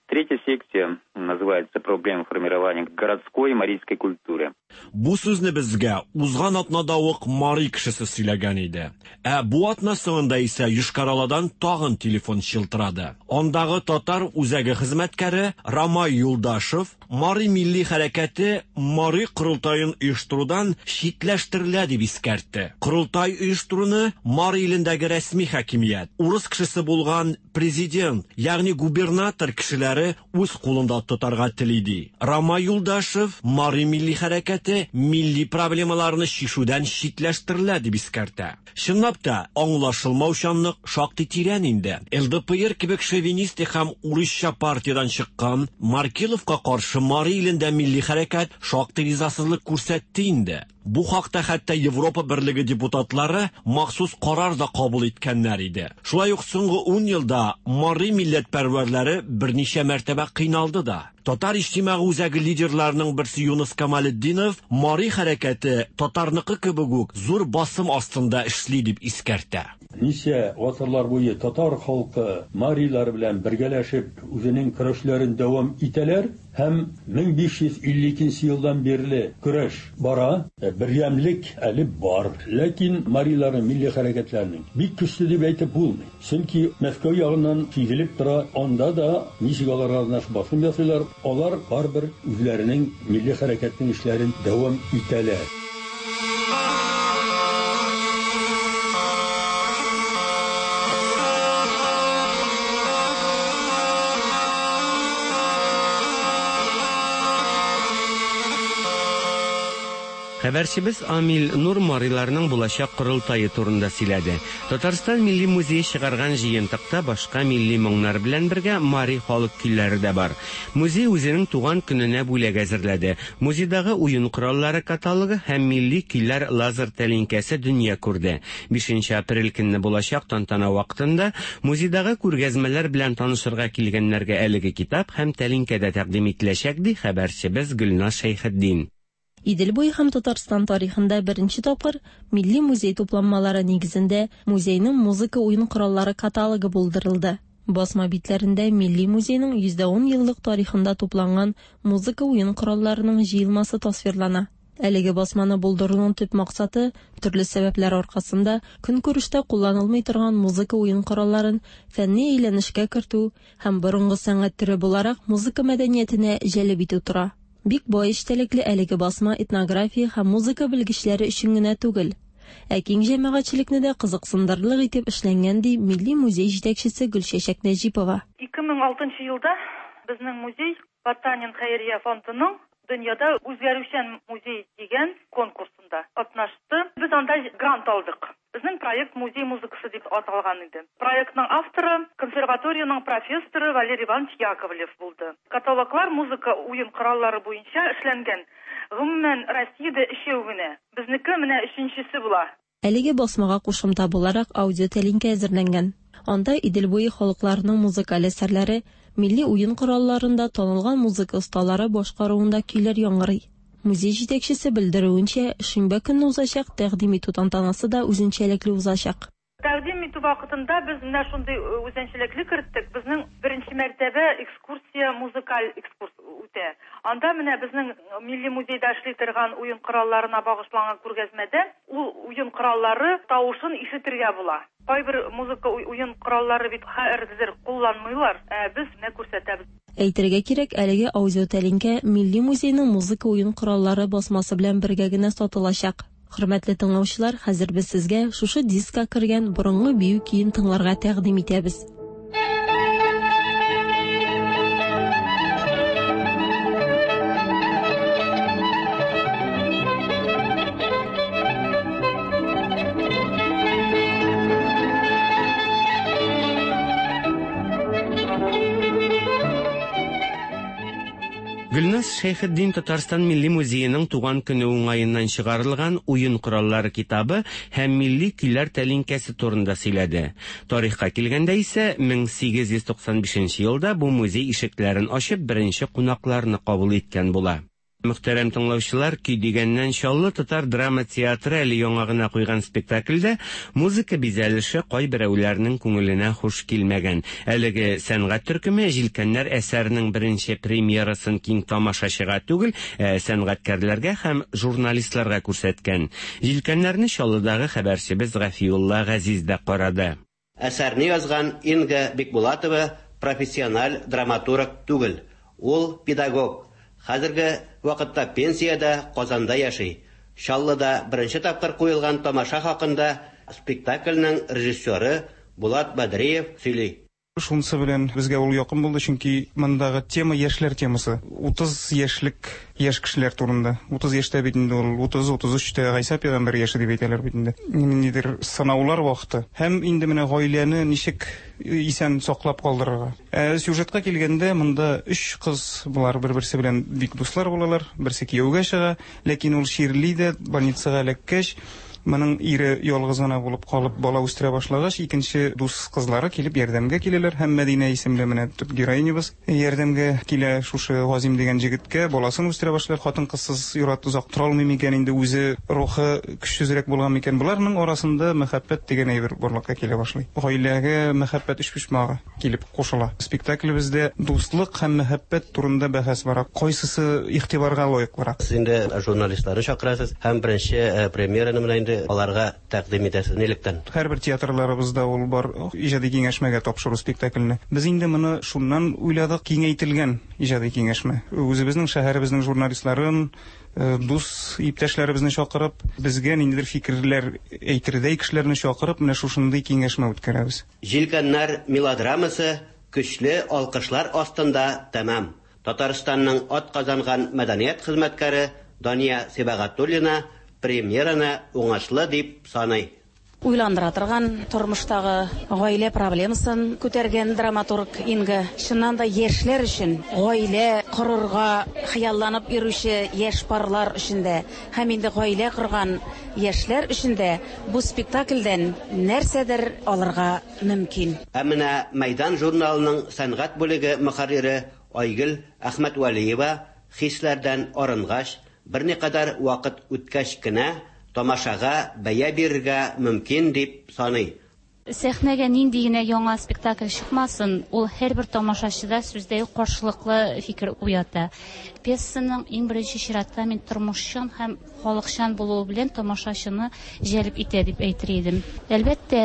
Третья секция называется «Проблемы формирования городской марийской культуры». Бу сүзне безгә узган атнада ук мари кешесе сөйләгән иде. Ә бу атна соңында исә Йошкар-Оладан тагын телефон чылтырады. Андагы татар үзәге хезмәткәре Рамай Юлдашев Мари милли хәрәкәте Мари корылтаен оештырудан читләштерелә дип искәртте. Корылтай оештыруны Мари илендәге рәсми хакимият, урыс кешесе булган президент, ягъни губернатор кешеләре үз кулында тотарга тели ди. Рамай Юлдашев Мари милли хәрәкәте милли проблемаларны чишүдән читләштерелә дип искәртә. Чынлап та, аңлашылмаучанлык шактый тирән инде. Эл Дэ Пэ Эр кебек шовинистик һәм урысча партиядән чыккан Маркеловка каршы Мари илендә милли хәрәкәт шактый ризасызлык күрсәтте инде. Бу хакта хәтта Европа Берлеге депутатлары махсус карар да кабул иткәннәр иде. Шулай ук соңгы ун елда Мари милләтпәрвәрләре берничә мәртәбә кыйналды да. Татар иҗтимагый үзәге лидерларының берсе Юныс Камалетдинов Мари хәрәкәте татарныкы кебек үк зур басым астында эшли дип искәртә. Ничә гасырлар буе татар халкы марилар белән бергәләшеп үзенең көрәшләрен дәвам итәләр һәм мең биш йөз илле икенче елдан бирле көрәш бара. Бердәмлек әле бар. Ләкин мариларның милли хәрәкәтләренең бик көчле дип әйтеп булмый. Чөнки Мәскәү ягыннан сизелеп тора, анда да ничек аларга басым ясыйлар, алар барыбер үзләренең милли хәрәкәтнең эшләрен дәвам итәләр. Хәбәрчебез Амил Нур мариларның булачак корылтае турында сөйләде. Татарстан Милли музее чыгарган җыентыкта башка милли моңнар белән бергә мари халык көйләре дә бар. Музей үзенең туган көненә бүләк әзерләде. Музейдагы уен кораллары каталогы һәм милли көйләр лазер тәлинкәсе дөнья күрде. Бишенче апрель көнне булачак тантана вакытында музейдагы күргәзмәләр белән танышырга килгәннәргә әлеге китап һәм тәлинкә дә тәкъдим ителәчәк, ди хәбәрчебез Гөлназ Шәйхетдин. Идел буе һәм Татарстан тарихында беренче тапкыр Милли музей тупланмалары нигезендә музейның музыка уен кораллары каталогы булдырылды. Басма битләрендә Милли музейның йөз ун еллык тарихында тупланган музыка уен коралларының җыелмасы тасвирлана. Әлеге басманы булдыруның төп максаты төрле сәбәпләр аркасында көнкүрештә кулланылмый торган музыка уен коралларын фәнни әйләнешкә кертү һәм борынгы сәнгать төре буларак музыка мәдәниятенә җәлеп итү тора. Бик бай эчтәлекле әлеге басма этнография һәм музыка белгечләре өчен генә түгел, ә киң җәмәгатьчелекне дә кызыксындырырлык итеп эшләнгән, ди Милли музей җитәкчесе Гөлчәчәк Нәҗипова. ике мең алтынчы елда безнең музей Потанин хәйрия фондының дөньяда үзгәрүчән музей дигән конкурсында катнашты. Без анда грант алдык. Безнең проект музей музыкасы дип аталган иде. Проектның авторы консерваторияның профессоры Валерий Иванович Яковлев булды. Каталоглар музыка уен кораллары буенча эшләнгән. Гомумән Россиядә өчәү генә. Безнеке менә өченчесе була. Әлеге басмага кушымта буларак аудио тәлинкә әзерләнгән. Анда Идел буе халыкларының музыкаль әсәрләре, милли уен коралларында танылган музыка осталары башкаруында көйләр яңгырый. Музей җитәкчесе белдерүенчә, шимбә көнне узачак тәкъдим итү тантанасы да үзенчәлекле узачак. Тәкъдим итү вакытында без менә шундый үзенчәлекле керттек. Безнең беренче мәртәбә экскурсия, музыкаль экскурс итә. Анда менә безнең Милли музейда эшли торган уен коралларына багышланган күргәзмәдә ул уен кораллары тавышын ишетергә була. Кайбер музыка уен кораллары бит хәзер кулланмыйлар, ә без менә күрсәтәбез. Әйтергә кирәк, әлеге аудиотәлинкә Милли музейның музыка уен кораллары басмасы белән бергә генә сатылачак. Хөрмәтле тыңлаучылар, хәзер без сезгә шушы дискка кергән борынгы бию көен тыңларга тәкъдим итәбез. Гөлназ Шәйхетдин Татарстан Милли музееның туган көне уңаеннан чыгарылган уен кораллары китабы һәм милли көйләр тәлинкәсе турында сөйләде. Тарихка килгәндә исә мең сигез йөз туксан бишенче елда бу музей ишекләрен ачып беренче кунакларны кабул иткән була. Мөхтәрәм тыңлаучылар, көй дигәннән Чаллы татар драма театры әле яңа гына куйган спектакльдә музыка бизәлеше кайберәүләрнең күңеленә хуш килмәгән. Әлеге сәнгать төркеме Җилкәннәр әсәренең беренче премьерасын киң тамашачыга түгел, ә сәнгатькәрләргә һәм журналистларга күрсәткән. Җилкәннәрне Чаллыдагы хәбәрчебез Гафиулла Газиз дә карады. Әсәрне язган Инга Бикбулатова профессиональ драматург түгел, ул педагог. Хәзерге вакытта пенсиядә Казанда яши. Чаллыда беренче тапкыр куелган тамаша хакында спектакльнең режиссеры Булат Бадриев сөйли. Шунысы белән безгә ул якын булды, чөнки мондагы тема яшьләр темасы. Утыз яшьлек яшь кешеләр турында. Утыз яшьтә бит инде ул, утыз, утыз өчтә Гайсә пәйгамбәр яше дип әйтәләр бит инде. Ниндидер сынаулар вакыты. Һәм инде менә гаиләне ничек исән саклап калдырырга. Ә сюжетка килгәндә, монда өч кыз, болар бер-берсе белән бик дуслар булалар. Берсе кияүгә чыга, ләкин ул чирли дә, больницага эләккәч, моның ире ялгыз гына булып калып бала үстерә башлагач, икенче дус кызлары килеп ярдәмгә киләләр һәм Мәдинә исемле менә төп героинябыз ярдәмгә килә шушы Газим дигән җегеткә, баласын үстерә башлар. Хатын-кызсыз ир-ат озак тора алмый микән инде, үзе рухы көчсезрәк булган микән? Боларның арасында мәхәббәт дигән әйбер барлыкка килә башлый. Гаиләгә мәхәббәт өчпочмагы килеп кушыла. Спектаклебездә дуслык һәм мәхәббәт турында бәхәс бара. Кайсысы игътибарга лаеклырак? Сез инде журналистларны чакырасыз һәм беренче премьераны менә инде аларга тәкъдим итәсез нилектән? Һәрбер театрларыбызда ул бар иҗади киңәшмәгә тапшыру спектакльне. Без инде моны шуннан уйладык, киңәйтелгән иҗади киңәшмә. Үзебезнең шәһәребезнең журналистларын, дус иптәшләребезне чакырып, безгә ниндидер фикерләр әйтердәй кешеләрне чакырып, менә шушындый киңәшмә үткәрәбез. Җилкәннәр мелодрамасы көчле алкышлар астында тәмам. Татарстанның атказанган мәдәният хезмәткәре Дания Сибагатуллина премьераны уңышлы дип саный. Уйландыра торган тормыштагы гаилә проблемасын күтәргән драматург Инга. Чыннан да яшьләр өчен, гаилә корырга хыялланып йөрүче яшь парлар өчен дә һәм инде гаилә корган яшьләр өчен дә бу спектакльдән нәрсәдер алырга мөмкин. Ә менә Мәйдан журналының сәнгать бүлеге мөхәррире Айгөл Әхмәтвәлиева хисләрдән арынгач, берникадәр вакыт үткәч кенә тамашага бәя бирергә мөмкин дип саный. Сәхнәгә нинди генә яңа спектакль чыкмасын, ул һәрбер тамашачыда сүздә юк каршылыклы фикер уята. Пьесаның иң беренче чиратта мин тормышчан һәм халыкчан булуы белән тамашачыны җәлеп итә дип әйтер идем. Әлбәттә,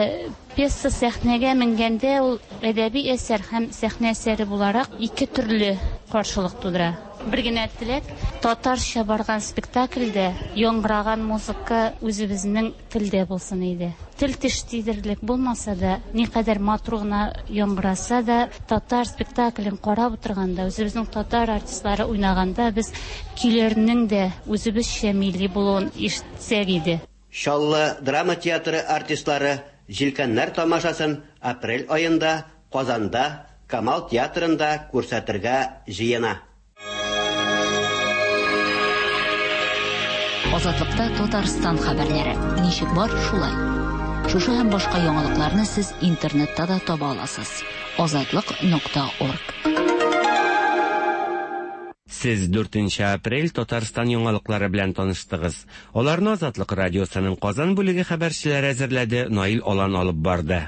пьеса сәхнәгә менгәндә ул әдәби әсәр һәм сәхнә әсәре буларак ике төрле каршылык тудыра. Бер генә теләк, татарча барган спектакльдә яңгыраган музыка үзебезнең телдә булсын иде. Тел теш тидерлек булмаса да, никадәр матур гына яңгыраса да, татар спектаклен карап утырганда, үзебезнең татар артистлары уйнаганда без көйләрнең дә үзебезчә милли булуын ишетсәк иде. Чаллы драма театры артистлары Җилкәннәр тамашасын апрель аенда Казанда Камал театрында күрсәтергә җыена. Азатлыкта Татарстан хәбәрләре. Ничек бар, шулай. Шушы һәм башка яңалыкларны сез интернетта да таба аласыз. азатлык нокта орг. Сез дүртенче апрель Татарстан яңалыклары белән таныштыгыз. Аларны Азатлык радиосының Казан бүлеге хәбәрчеләре әзерләде, Наил Алан алып барды.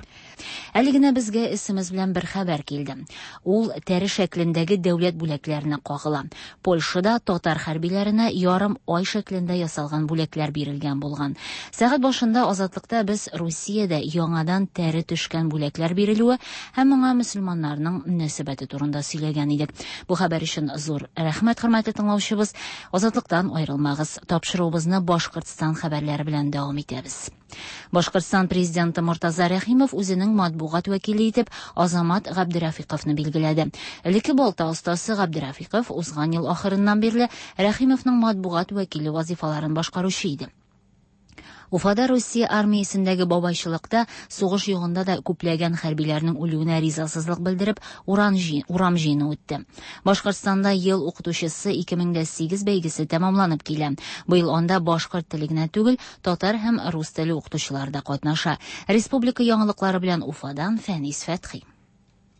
Әле генә безгә С М С белән бер хәбәр килде. Ул тәре шәклендәге дәүләт бүләкләренә кагыла. Польшада татар хәрбиләренә ярым ай шәклендә ясалган бүләкләр бирелгән булган. Сәгать башында Азатлыкта без Русиядә яңадан тәре төшкән бүләкләр бирелүе һәм моңа мөселманнарның мөнәсәбәте турында сөйләгән идек. Бу хәбәр өчен зур рәхмәт, хөрмәтле тыңлаучыбыз. Азатлыктан аерылмагыз. Тапшыруыбызны Башкортстан хәбәрләре белән дәвам итәбез. Башкортстан президенты Мортаза Рәхимов үзенең матбугат вәкиле итеп Азамат Габдерафиковны билгеләде. Элекке балта остасы Габдерафиков узган ел ахырыннан бирле Рәхимовның матбугат вәкиле вазифаларын башкаручы иде. Уфада Русия армиясендәге бабайчылыкта сугыш югында да күпләгән хәрбиләрнең үлүенә ризасызлык белдереп, урам урам җыены үтте. Башкортстанда ел укытучысы ике мең сигез бәйгесе тәмамланып килә. Быел анда башкорт теле генә түгел, татар һәм рус теле укытучылары да катнаша. Республика яңалыклары белән Уфадан Фәнис Фәтхи.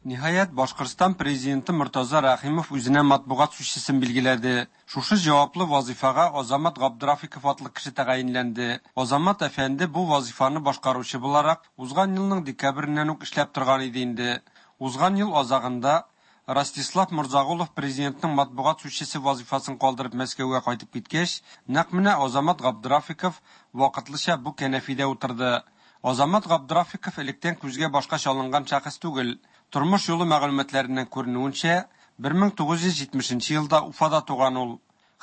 Ниһаять, Башкортстан президенты Мортаза Рәхимов үзенә матбугат сүзчесен билгеләде. Шушы җаваплы вазифага Азамат Габдрафиков атлы кеше тәгаенләнде. Азамат әфәнде бу вазифаны башкаручы буларак узган елның декабреннән үк эшләп торган иде инде. Узган ел азагында Ростислав Морзагулов президентның матбугат сүзчесе вазифасын калдырып Мәскәүгә кайтып киткәч, нәкъ менә Азамат Габдрафиков вакытлыча бу кәнәфидә утырды. Азамат Габдрафиков электән күзгә башка чалынган шәхес түгел. Тормыш юлы мәгълүматларыннан күренүенчә, мең тугыз йөз җитмешенче елда Уфада туган ул.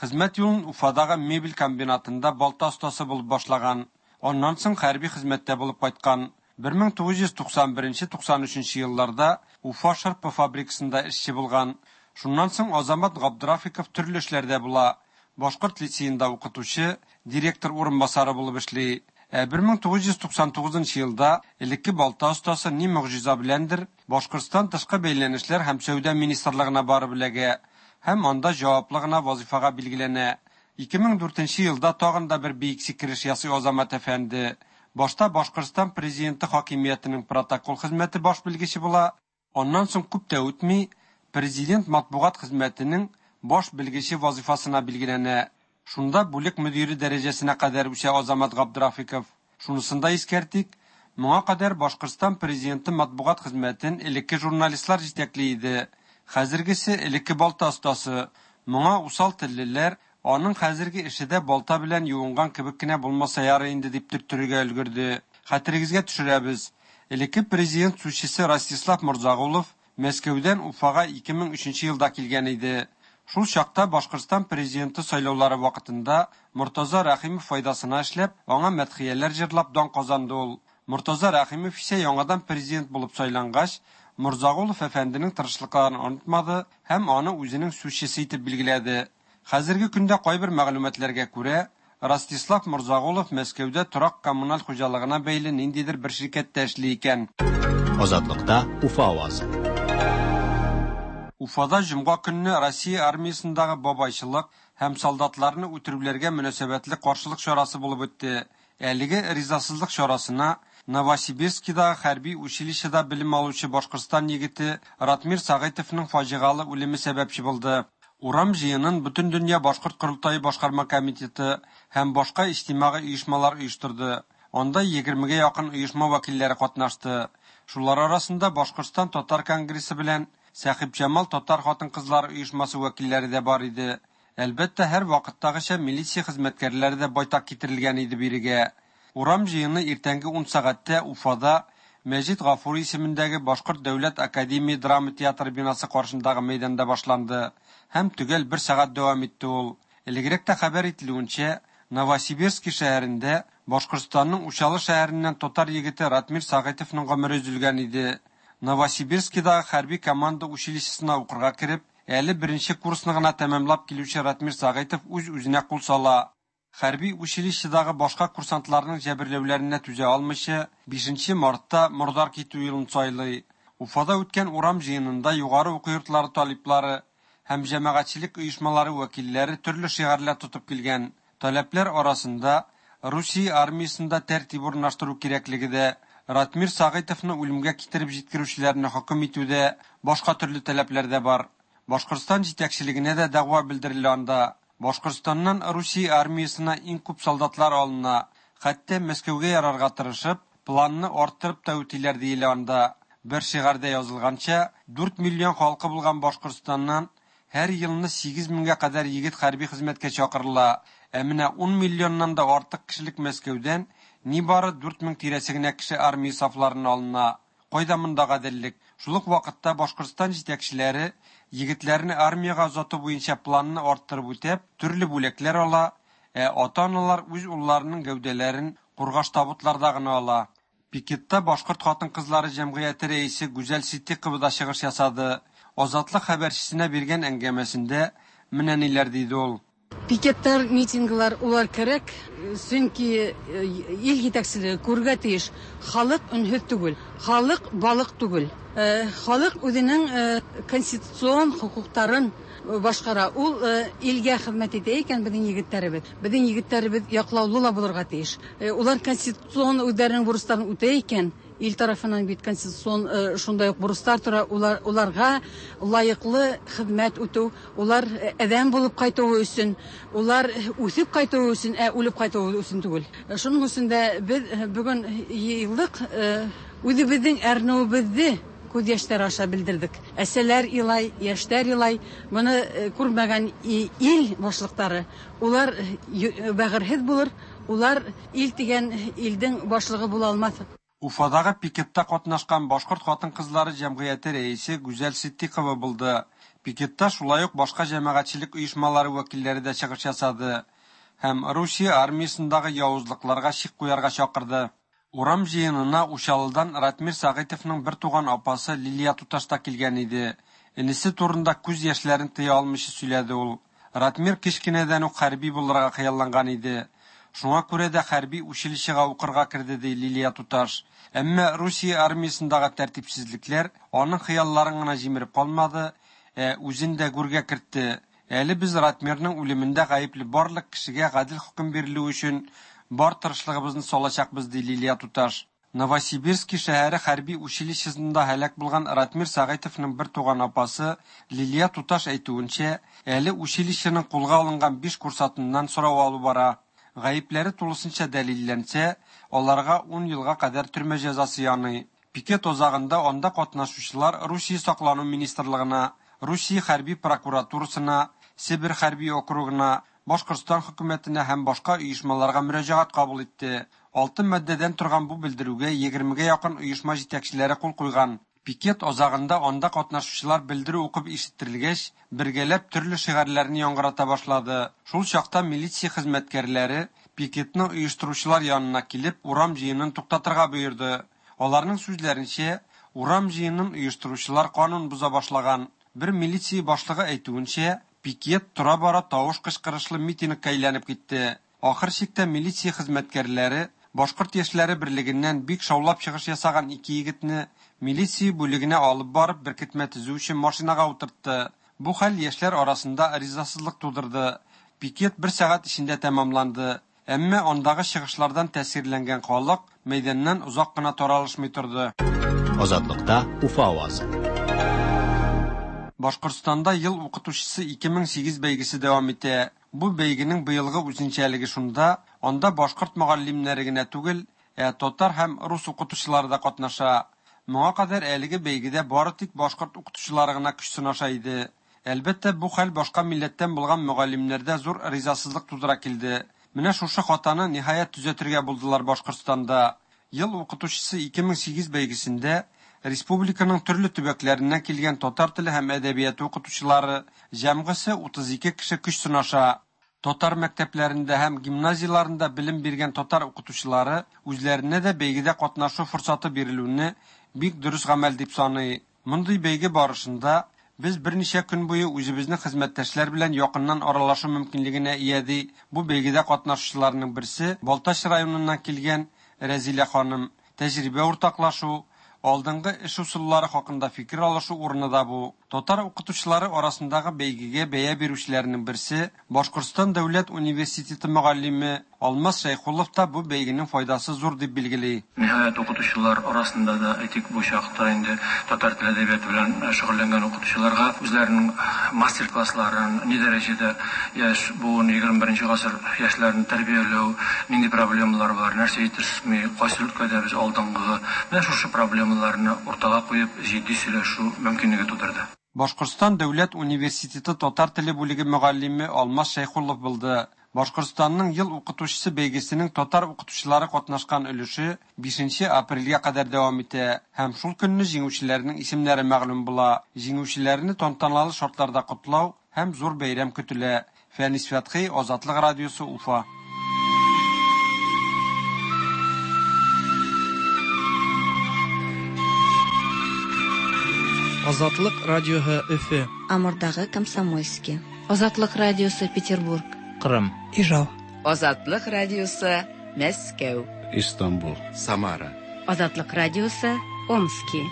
Хезмәт юлын Уфадагы мебель комбинатында балта остасы булып башлаган. Аннан соң хәрби хезмәттә булып кайткан. мең тугыз йөз туксан беренче-туксан өченче елларда Уфа шырпы фабрикасында эшче булган. Шуннан соң Азамат Габдрафиков төрле эшләрдә була. Башкорт лицеенда укытучы, директор урынбасары булып эшли. Ә мең тугыз йөз туксан тугызынчы елда элекке балта остасы ни могҗиза беләндер Башкортстан тышкы бәйләнешләр һәм сәүдә министрлыгына барып эләгә һәм анда җаваплы гына вазифага билгеләнә. ике мең дүртенче елда тагын да бер биек сикереш ясый Азамат әфәнде. Башта Башкортстан президенты хакимиятенең протокол хезмәте баш белгече була, аннан соң күп тә үтми президент матбугат хезмәтенең баш белгече вазифасына билгеләнә. Шунда бүлек мөдире дәрәҗәсенә кадәр үсә Азамат Габдрафиков. Шунысын да искәртик, моңа кадәр Башкортстан президенты матбугат хезмәтен элекке журналистлар җитәкли иде. Хәзергесе элекке балта остасы. Моңа усал теллеләр, аның хәзерге эше дә балта белән юынган кебек кенә булмаса ярый инде, дип төрттерергә өлгерде. Хәтерегезгә төшерәбез. Элекке президент сүзчесе Ростислав Морзагулов Мәскәүдән Уфага ике мең өченче елда килгән иде. Шул чакта Башкортстан президенты сайлаулары вакытында Мортаза Рәхимов файдасына эшләп, аңа мәдхияләр җырлап дан казанды ул. Мортаза Рәхимов исә яңадан президент булып сайлангач, Морзагулов әфәнденең тырышлыкларын онытмады һәм аны үзенең сүзчесе итеп билгеләде. Хәзерге көндә кайбер мәгълүматларга күрә, Ростислав Морзагулов Мәскәүдә торак коммуналь хуҗалыгына бәйле ниндидер бер ширкәттә эшли икән. Азатлыкта Уфа авазы. Уфада җомга көнне Россия армиясендәге бабайчылык һәм солдатларны үтерүләргә мөнәсәбәтле каршылык чарасы булып үтте. Әлеге ризасызлык чарасына Новосибирскидагы хәрби училищеда белем алучы Башкортстан егете Ратмир Сәгыйтовның фаҗигале үлеме сәбәпче булды. Урам җыенын Бөтендөнья башкорт корылтае башкарма комитеты һәм башка иҗтимагый оешмалар оештырды. Анда егермегә якын оешма вәкилләре катнашты. Шулар арасында Башкортстан татар конгрессы белән Сәхибҗамал татар хатын-кызлары оешмасы вәкилләре дә бар иде. Әлбәттә, һәр вакыттагыча милиция хезмәткәрләре дә байтак китерелгән иде бирегә. Урам җыены иртәнге ун сәгатьтә Уфада Мәҗит Гафури исемендәге Башкорт дәүләт академия драма театры бинасы каршындагы мәйданда башланды һәм төгәл бер сәгать дәвам итте ул. Элегрәк тә хәбәр ителүенчә, Новосибирский шәһәрендә Башкортстанның Учалы шәһәреннән татар егете Ратмир Сәгыйтовның гомере өзелгән иде. Новосибирскидагы хәрби команда училищесына укырга кереп, әле беренче курсны гына тәмамлап килүче Ратмир Сәгыйтов үз-үзенә кул сала. Хәрби училищедагы башка курсантларның җәберләүләренә түзә алмыйча, бишенче мартта мордар китү юлын сайлый. Уфада үткән урам җыенында югары уку йортлары талиплары һәм җәмәгатьчелек оешмалары вәкилләре төрле шигарьләр тотып килгән. Таләпләр арасында Русия армиясендә тәртип урнаштыру кирәклеге дә, Ратмир Сәгыйтовны үлемгә китереп җиткерүчеләрне хөкем итү дә, башка төрле таләпләр дә бар. Башкортстан җитәкчелегенә дә дәгъва белдерелә анда. Башкортстаннан Русия армиясенә иң күп солдатлар алына. Хәтта Мәскәүгә ярарга тырышып, планны арттырып та үтиләр диелә анда. Бер шигарьдә язылганча, дүрт миллион халкы булган Башкортстаннан һәр елны сигез меңгә кадәр егет хәрби хезмәткә чакырыла. Ә менә ун миллионнан да артык кешелек Мәскәүдән нибары дүрт мең тирәсе генә кеше армия сафларына алына. Кайда монда гаделлек? Шул ук вакытта Башкортстан җитәкчеләре егетләрне армиягә озату буенча планны арттырып үтәп, төрле бүләкләр ала, ә ата-аналар үз улларының гәүдәләрен кургаш табутларда гына ала. Пикетта Башкорт хатын-кызлары җәмгыяте рәисе Гүзәл Ситдикова да чыгыш ясады. Азатлык хәбәрчесенә биргән әңгәмәсендә менә ниләр диде ул. Пикетлар, митинглар улар кирәк, чөнки ил җитәкчелеге күргә тиеш. Халык өнһез түгел, халык балык түгел. Халык үзенең конституцион хокукларын башкара. Ул илгә хезмәт итә икән безнең егетләребез. Безнең егетләребез яклаулы ла булырга тиеш. Улар конституцион үзләренең бурычларын үтә икән, ил тарафыннан бит конституцион шундай ук бурычлар тора, улар уларга лаеклы хезмәт үтү, улар адәм булып кайтуы өчен, улар үсеп кайтуы өчен, ә үлеп кайтуы өчен түгел. Шуның өчен дә без бүген еллык үзебезнең әрнүебезне күз яшьләре аша белдердек. Әсәләр илай, яшьләр илай, моны күрмәгән ил башлыклары, улар бәгырьһез булыр, улар ил дигән илдең башлыгы була алмас. Уфадагы пикетта катнашкан Башкорт хатын-кызлары җәмгыяте рәисе Гүзәл Ситдикова булды. Пикетта шулай ук башка җәмәгатьчелек оешмалары вәкилләре дә чыгыш ясады һәм Русия армиясендәге явызлыкларга чик куярга чакырды. Урам җыенына Учалыдан Ратмир Сәгыйтовның бер туган апасы Лилия туташ та килгән иде. Энесе турында күз яшьләрен тыя алмыйча сөйләде ул. Ратмир кечкенәдән үк хәрби булырга хыялланган иде. Шуңа күрә дә хәрби училищега укырга керде, ди Лилия туташ. Әмма Русия армиясендәге тәртипсезлекләр аның хыялларын гына җимереп калмады, ә үзен дә гүргә кертте. Әле без Ратмирның үлемендә гаепле барлык кешегә гадел хөкем бирелүе өчен бар тырышлыгыбызны салачакбыз, ди Лилия туташ. Новосибирский шәһәре хәрби училищесында һәлак булган Ратмир Сәгыйтовның бер туган апасы Лилия туташ әйтүенчә, әле училищеның кулга алынган биш курсантыннан сорау алу бара. Гаепләре тулысынча дәлилләнсә, аларга ун елга кадәр төрмә җәзасы яный. Пикет азагында анда катнашучылар Русия саклану министрлыгына, Русия хәрби прокуратурасына, Себер хәрби округына, Башкортстан хөкүмәтенә һәм башка оешмаларга мөрәҗәгать кабул итте. Алты маддәдән торган бу белдерүгә егермегә якын оешма җитәкчеләре кул куйган. Пикет азагында анда катнашучылар белдерү укып ишеттерелгәч, бергәләп төрле шигарьләрне яңгырата башлады. Шул чакта милиция хезмәткәрләре пикетны оештыручылар янына килеп, урам җыенын туктатырга боерды. Аларның сүзләренчә, урам җыенын оештыручылар канун боза башлаган. Бер милиция башлыгы әйтүенчә, пикет тора-бара тавыш кычкырышлы митингка әйләнеп китте. Ахыр чиктә милиция хезмәткәрләре Башкорт яшьләре берлегеннән бик шаулап чыгыш ясаган ике егетне милиция бүлегенә алып барып беркетмә төзү өчен машинага утыртты. Бу хәл яшьләр арасында ризасызлык тудырды. Пикет бер сәгать эчендә тәмамланды. Әмма андагы чыгышлардан тәэсирләнгән халык мәйданнан озак кына таралышмый торды. Азатлыкта Уфа авазы. Башкортстанда ел укытучысы ике мең сигез бәйгесе дәвам итә. Бу бәйгенең быелгы үзенчәлеге шунда, анда башкорт мөгаллимнәре генә түгел, ә татар һәм рус укытучылары да катнаша. Моңа кадәр әлеге бәйгедә бары тик башкорт укытучылары гына көч сынаша иде. Әлбәттә, бу хәл башка милләттән булган мөгаллимнәрдә зур ризасызлык тудыра килде. Менә шушы хатаны ниһаять төзәтергә булдылар Башкортстанда. Ел укытучысы ике мең сигез бәйгесендә республиканың төрле төбәкләреннән килгән татар теле һәм әдәбияты укытучылары җәмгысе утыз ике кеше көч сынаша. Татар мәктәпләрендә һәм гимназияләрендә белем биргән татар укытучылары үзләренә дә бәйгедә катнашу форсаты бирелүне бик дөрес гамәл дип саный. Мондый бәйге барышында без берничә көн буе үзебезнең хезмәттәшләр белән якыннан аралашу мөмкинлегенә ия, ди бу бәйгедә катнашучыларның берсе Балтач районыннан килгән Рәзилә ханым. Тәҗрибә уртаклашу, алдынгы эш ысуллары хакында фикер алышу урыны да бу. Татар укытучылары арасындагы бәйгегә бәя бирүчеләрнең берсе Башкортстан дәүләт университеты мөгаллиме Алмаз Шәйхуллов та бу бәйгенең файдасы зур дип билгели. Ниһаять, укытучылар арасында да әйтик, бу чакта инде татар теле әдәбияты белән шөгыльләнгән укытучыларга үзләренең мастер-классларын ни дәрәҗәдә яшь буын егерме беренче гасыр яшьләрен тәрбияләү, нинди проблемалар бар, нәрсә җитешми, кайсы өлкәдә без алдынгы, менә шушы проблемалар проблемаларны уртага куеп җитди сөйләшү мөмкинлеге тудырды. Башкортстан дәүләт университеты татар теле бүлеге мөгаллиме Алмаз Шәйхуллов булды. Башкортстанның ел укытучысы бәйгесенең татар укытучылары катнашкан өлеше бишенче апрельгә кадәр дәвам итә һәм шул көнне җиңүчеләрнең исемнәре мәгълүм була. Җиңүчеләрне тантаналы шартларда котлау һәм зур бәйрәм көтелә. Фәнис Фәтхи, Азатлык радиосы, Уфа. Азатлык радиоһы Өфе. Амурдагы Комсомольский. Азатлык радиосы Петербург. Кырым. Ижау. Азатлык радиосы Мәскәү. Истанбул. Самара. Азатлык радиосы Омски.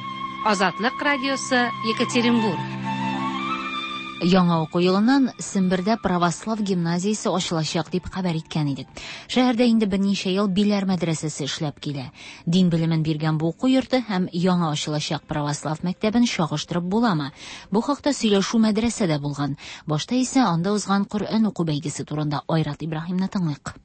Азатлык радиосы Екатеринбург. Яңа уку елыннан Сембердә православ гимназиясе ачылачак дип хәбәр иткән идек. Шәһәрдә инде берничә ел Биләр мәдрәсәсе эшләп килә. Дин белемен биргән бу уку йорты һәм яңа ачылачак православ мәктәбен чагыштырып буламы? Бу хакта сөйләшү мәдрәсәдә булган. Башта исә анда узган Коръән уку бәйгесе турында Айрат Ибраһимны тыңлыйк.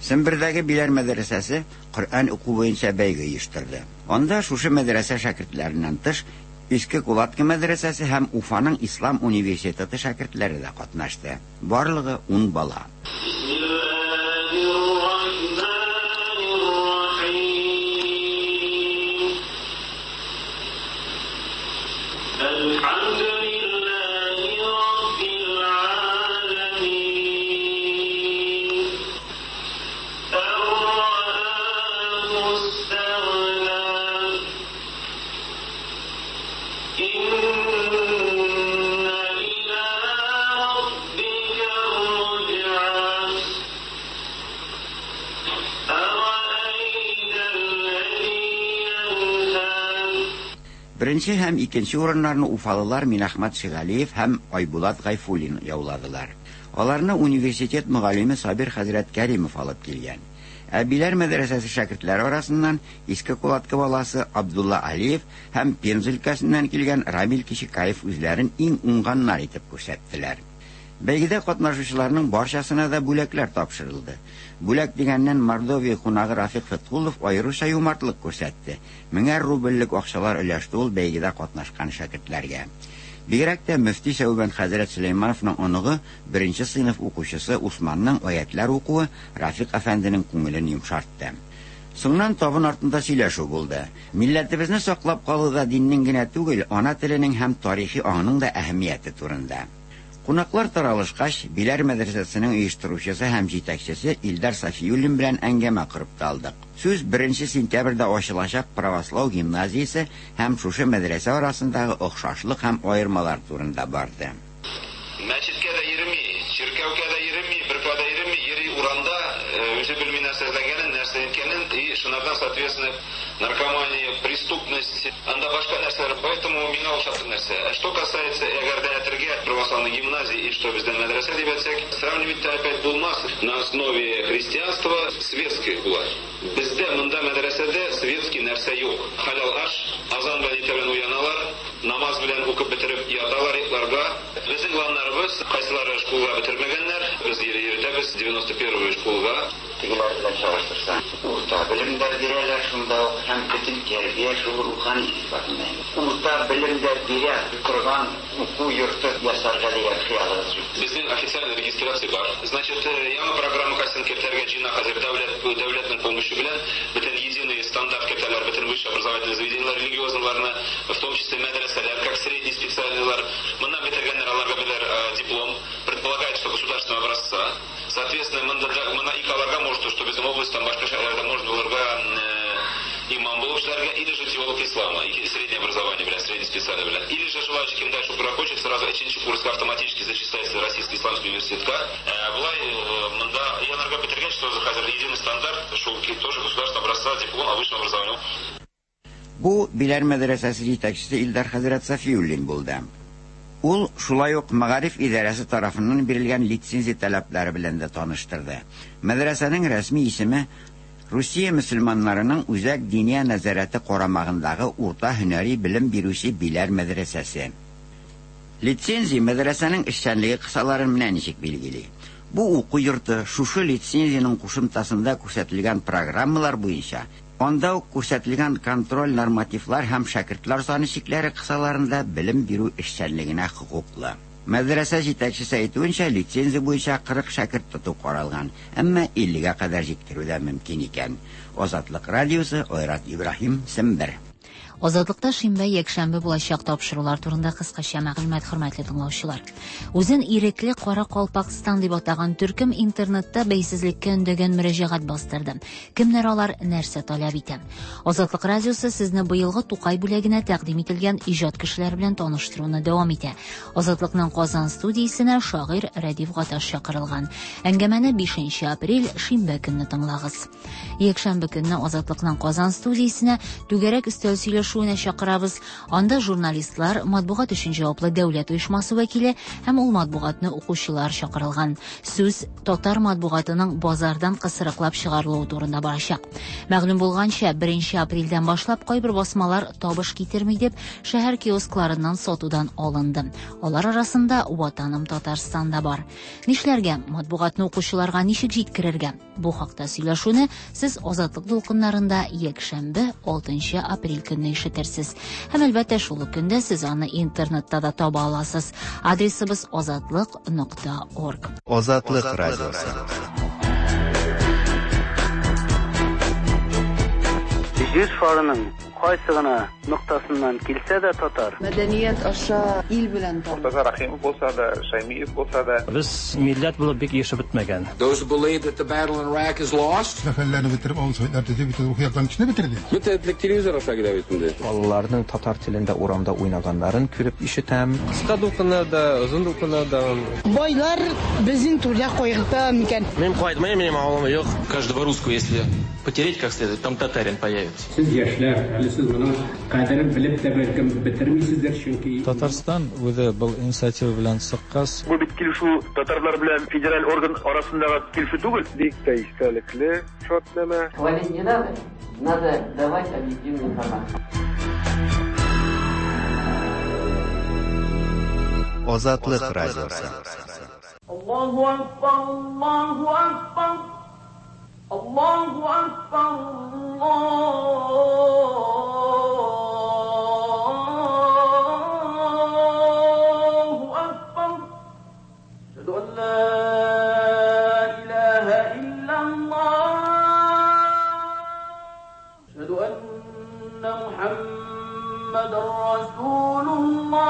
Сембердәге Биләр мәдрәсәсе Коръән уку буенча бәйге оештырды. Анда шушы мәдрәсә шәкертләреннән тыш Иске Кулатка мәдрәсәсе һәм Уфаның Ислам университеты шәкертләре дә катнашты. Барлыгы ун бала. Беренче һәм икенче урыннарны уфалылар Минахмат Шигалиев һәм Айбулат Гайфуллин яуладылар. Аларны университет мөгаллиме Сабир хәзрәт Кәримов алып килгән. Ә Биләр мәдрәсәсе шәкертләре арасыннан Иске Кулатка баласы Абдулла Алиев һәм Пенза өлкәсеннән килгән Рамил Кишикаев үзләрен иң уңганнар итеп күрсәттеләр. Бәйгедә катнашучыларның барчасына да бүләкләр тапшырылды. Бүләк дигәннән Мордовия кунагы Рафик Фәтхуллов аеруча юмартлык күрсәтте. Меңәр рубльлек акчалар өләште ул бәйгедә катнашкан шәкертләргә. Бигрәк тә мөфти Сәүбән хәзрәт Сөләймановның оныгы, беренче сыйныф укучысы Усманның аятлар укуы Рафик әфәнденең күңелен йомшартты. Соңыннан табын артында сөйләшү булды. Милләтебезне саклап калуда диннең генә түгел, ана теленең һәм тарихи аңының да әһәмияте турында. Кунаклар таралышкач, Биләр мәдрәсәсенең оештыручысы һәм җитәкчесе Илдар Сафиуллин белән әңгәмә корып та алдык. Сүз беренче сентябрьдә ачылачак православ гимназиясе һәм шушы мәдрәсә арасындагы охшашлык һәм аермалар турында барды. Мәчеткә дә йөрми, чиркәүгә дә йөрми, беркая да йөрми, йөри урамда, үзе белми нәрсә эзләгәнен, нәрсә иткәнен, и шунардан, соответственно, наркомания, преступность, анда башка нәрсәләр, поэтому миңа охшатыр нәрсә. Что касается әгәр дә әтергә православной гимназии и что бездән мәдрәсә дип әйтсәк, сравнивать опять булмас. На основе христианства светской була. Бездә монда мәдрәсәдә светский нәрсә юк. Халал аш, азан белән иртә белән уяналар, намаз белән укып бетереп яталар йокларга. Безнең планнарыбыз, кайсылары школга бетермәгәннәр, без йөртәбез девяносто первую школга. Тегеләр белән чагыштырсаң, урта белемдә бирәләр шунда ук һәм бөтен тәрбия шул рухани сыйфатында. Урта белемдә бирә торган уку йорты ясарга дигән хыялыбыз юк. Безнең официальный регистрация бар. Значит, яңа программа кайсын кертергә җыена хәзер дәүләт дәүләтнең помощи белән бөтен единый стандарт кертәләр, бөтен высшее образовательное заведениеләр религиозныйларны, в том числе мәдрәсәләр, как средний специальныйлар. Моннан бетергәннәр аларга беләр диплом, предполагает, что государственного образца. Соответственно, монда мона ике аларга может, что безнең областьтан башка шәһәрләрдә может булырга имам булып эшләргә, или же теолог ислама, или среднее образование белән, средний специальное белән. Или же желающий кем дальше хочет, сразу өченче курска автоматически зачисляется в Российский исламский университетка. Былай монда янарга бетергәч, что хәзер единый стандарт, шул тоже государственного образца диплом о высшем образовании. Бу Биләр мәдрәсәсе җитәкчесе Илдар хәзрәт Сафиуллин булды. Ул шулай ук мәгариф идарәсе тарафыннан бирелгән лицензия таләпләре белән дә таныштырды. Мәдрәсәнең рәсми исеме Русия мөселманнарының үзәк диния нәзарәте карамагындагы урта һөнәри белем бирүче Биләр мәдрәсәсе. Лицензия мәдрәсәнең эшчәнлеге кысаларын менә ничек билгели. Бу уку йорты шушы лицензиянең кушымтасында күрсәтелгән программалар буенча Анда ук күрсәтелгән контроль нормативлар һәм шәкертләр саны чикләре кысаларында белем бирү эшчәнлегенә хокуклы. Мәдрәсә җитәкчесе әйтүенчә, лицензия буенча кырык шәкерт тоту каралган, әмма иллегә кадәр җиткерү дә мөмкин икән. Азатлык радиосы, Айрат Ибраһим, Сембер. Азатлыкта шимбә, якшәмбе булачак тапшырулар турында кыскача мәгълүмат, хөрмәтле тыңлаучылар. Үзен ирекле Кара Калпакстан дип атаган төркем интернетта бәйсезлеккә өндәгән мөрәҗәгать бастырды. Кемнәр алар, нәрсә таләп итә? Азатлык радиосы сезне быелгы Тукай бүләгенә тәкъдим ителгән иҗат кешеләре белән таныштыруны дәвам итә. Азатлыкның Казан студиясенә шагыйрь Рәдиф Гаташ чакырылган. Әңгәмәне бишенче апрель шимбә көнне тыңлагыз. Якшәмбе көнне Азатлыкның Казан студиясенә түгәрәк өстәл сөйләшү чакырабыз. Анда журналистлар, матбугат өчен җаваплы дәүләт оешмасы вәкиле һәм ул матбугатны укучылар чакырылган. Сүз татар матбугатының базардан кысрыклап чыгарылуы турында барачак. Мәгълүм булганча, беренче апрельдән башлап кайбер басмалар табыш китерми дип шәһәр киоскларыннан сатудан алынды. Алар арасында Ватаным Татарстан да бар. Нишләргә? Матбугатны укучыларга ничек җиткерергә? Бу хакта сөйләшүне сез Азатлык дулкыннарында якшәмбе алтынчы апрель көнне ишетерсез. Һәм әлбәттә шул ук көндә сез аны интернетта да таба аласыз. Адресыбыз азатлык нокта орг. Азатлык радиосы. Җир шарының кайсы гына ноктасыннан килсә дә татар. Мәдәният аша ил белән танып. Мортаза Рахимов булса да, Шаймиев булса да. Без милләт булып бик яшәп бетмәгән. Those who believe that the battle in Iraq is lost. Сәфәрләрне бетереп, авыл советлар төзеп, бөтен рухи яктан кешене бетерде. Бөтен телевизор аша килә бит инде. Балаларның татар телендә урамда уйнаганнарын күреп ишетәм. Кыска дулкыннарда, озын дулкыннарда. Байлар безнең түрдә кайгырта микән? Мин кайтмыйм, минем авылым юк. Каждого русского, если потереть как следует, там татарин появится. Сез яшьләр, әле сез моның кадерен белеп тә бәлкем бетермисездер, чөнки Татарстан үзе был инициатива белән чыккач. Бу бит килешү татарлар белән федераль орган арасындагы килешү түгел. Бик тә истәлекле шартнамә. Хвалить не надо, надо давать объективную информацию. Азатлык радиосы. Аллаһу акбар, Аллаһу акбар. Аллаһу акбар, Аллаһу акбар. Ашһаду ан ла илаһа иллаллаһ. Ашһаду анна Мухаммадан расулуллаһ.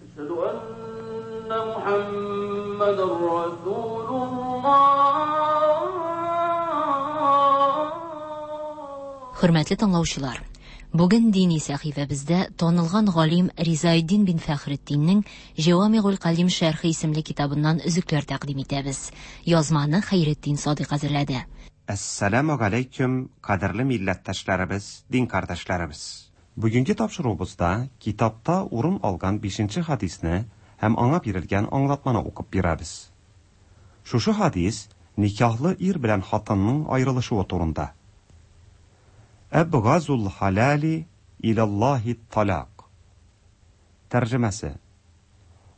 Ашһаду анна Мухаммадан Хөрмәтле тыңлаучылар, бүген дини сәхифәбездә танылган галим Ризаэддин бин Фәхретдиннең Җавамигул Калим шәрхе исемле китабыннан өзекләр тәкъдим итәбез. Язманы Хәйретдин Садыйк әзерләде. Әссәламу алейкум, кадерле милләттәшләребез, дин кардәшләребез. Бүгенге тапшыруыбызда китапта урын алган бишенче хадисне һәм аңа бирелгән аңлатманы укып бирәбез. Шушы хадис никахлы ир белән хатынның аерылышуы турында. Әбгазул халали илаллаһи талак. Тәрҗемәсе: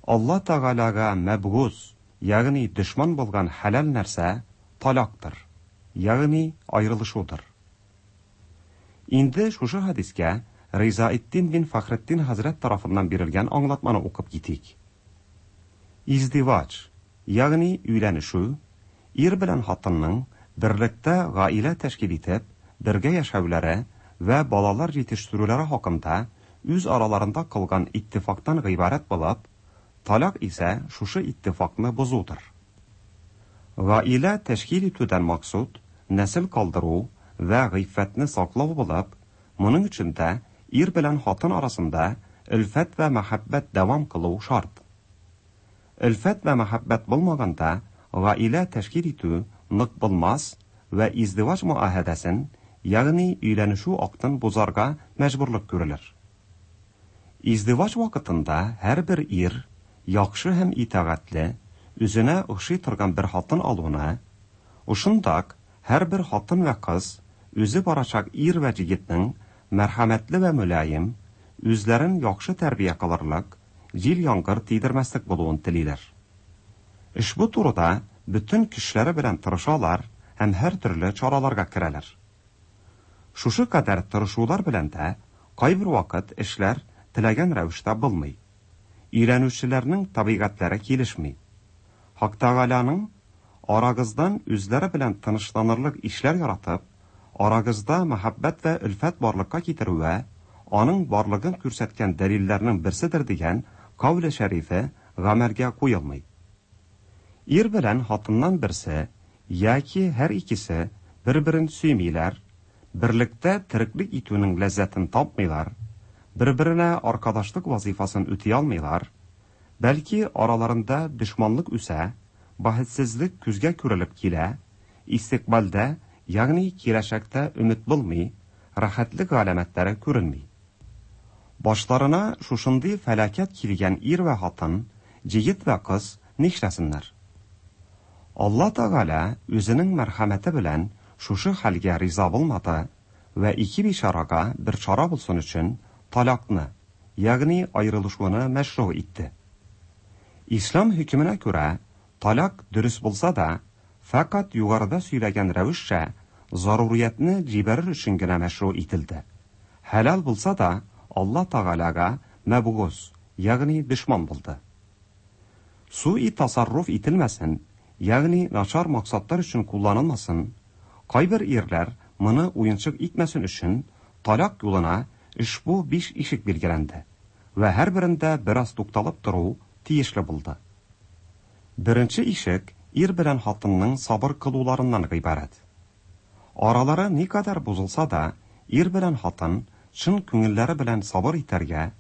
Алла Тәгаләгә мәбгуз, ягъни дошман булган хәләл нәрсә талактыр, ягъни аерылышудыр. Инде шушы хадискә Ризаэддин бин Фәхретдин хәзрәт тарафыннан бирелгән аңлатманы укып китик. Издивач, ягъни өйләнешү, ир белән хатынның берлектә гаилә тәшкил итеп, бергә яшәүләре вә балалар җитештерүләре хакында үз араларында кылган иттифактан гыйбарәт булып, талак исә шушы иттифакны бозудыр. Гаилә тәшкил итүдән максуд нәсел калдыру вә гыйффәтне саклау булып, моның өчен дә ир белән хатын арасында өлфәт вә мәхәббәт дәвам кылу шарт. Өлфәт вә мәхәббәт булмаганда гаилә тәшкил итү нык булмас вә издивач муаһәдәсен, ягъни өйләнешү актын бозарга мәҗбүрлек күрелер. Издивач вакытында һәрбер ир яхшы һәм итагатьле, үзенә охшый торган бер хатын алуны, ошындак һәрбер хатын вә кыз үзе барачак ир вә җегетнең мәрхәмәтле вә мөлаем, үзләрен яхшы тәрбия кылырлык, җил яңгыр тидермәслек булуын телиләр. Ошбу турыда бөтен көчләре белән тырышалар һәм һәртөрле чараларга керәләр. Шушы кадәр тырышулар белән дә кайбер вакыт эшләр теләгән рәвештә булмый. Өйләнүчеләрнең табигатьләре килешми. Хак Тәгаләнең арагыздан үзләре белән тынычланырлык ишләр яратып, арагызда мәхәббәт вә өлфәт барлыкка китерүе аның барлыгын күрсәткән дәлилләрнең берседер дигән кауле шәрифе гамәлгә куелмый. Ир белән хатыннан берсе яки һәр икесе бер-берен сөймиләр, берлектә тереклек итүнең ләззәтен тапмыйлар, бер-беренә аркадашлык вазифасын үти алмыйлар, бәлки араларында дошманлык үсә, бәхетсезлек күзгә күрелеп килә, истикбалдә, ягъни киләчәктә өмет булмый, рәхәтлек галәмәтләре күренми. Башларына шушындый фәлакәт килгән ир вә хатын, җегет вә кыз нишләсеннәр? Алла Тәгалә үзенең мәрхәмәте белән шушы хәлгә риза булмады вә ике бичарага бер чара булсын өчен талакны, ягъни аерылышуны мәшру итте. Ислам хөкеменә күрә, талак дөрес булса да, фәкать югарыда сөйләгән рәвешчә заруриятне җибәрер өчен генә мәшру ителде. Хәләл булса да, Алла Тәгаләгә мәбгуз, ягъни дошман булды. Суи тасарруф ителмәсен, ягъни начар максатлар өчен кулланылмасын, кайбер ирләр моны уенчык итмәсен өчен талак юлына ошбу биш ишек билгеләнде вә һәрберендә бераз тукталып тору тиешле булды. Беренче ишек ир белән хатынның сабыр кылуларыннан гыйбарәт. Аралары никадәр бозылса да, ир белән хатын чын күңелләре белән сабыр итәргә,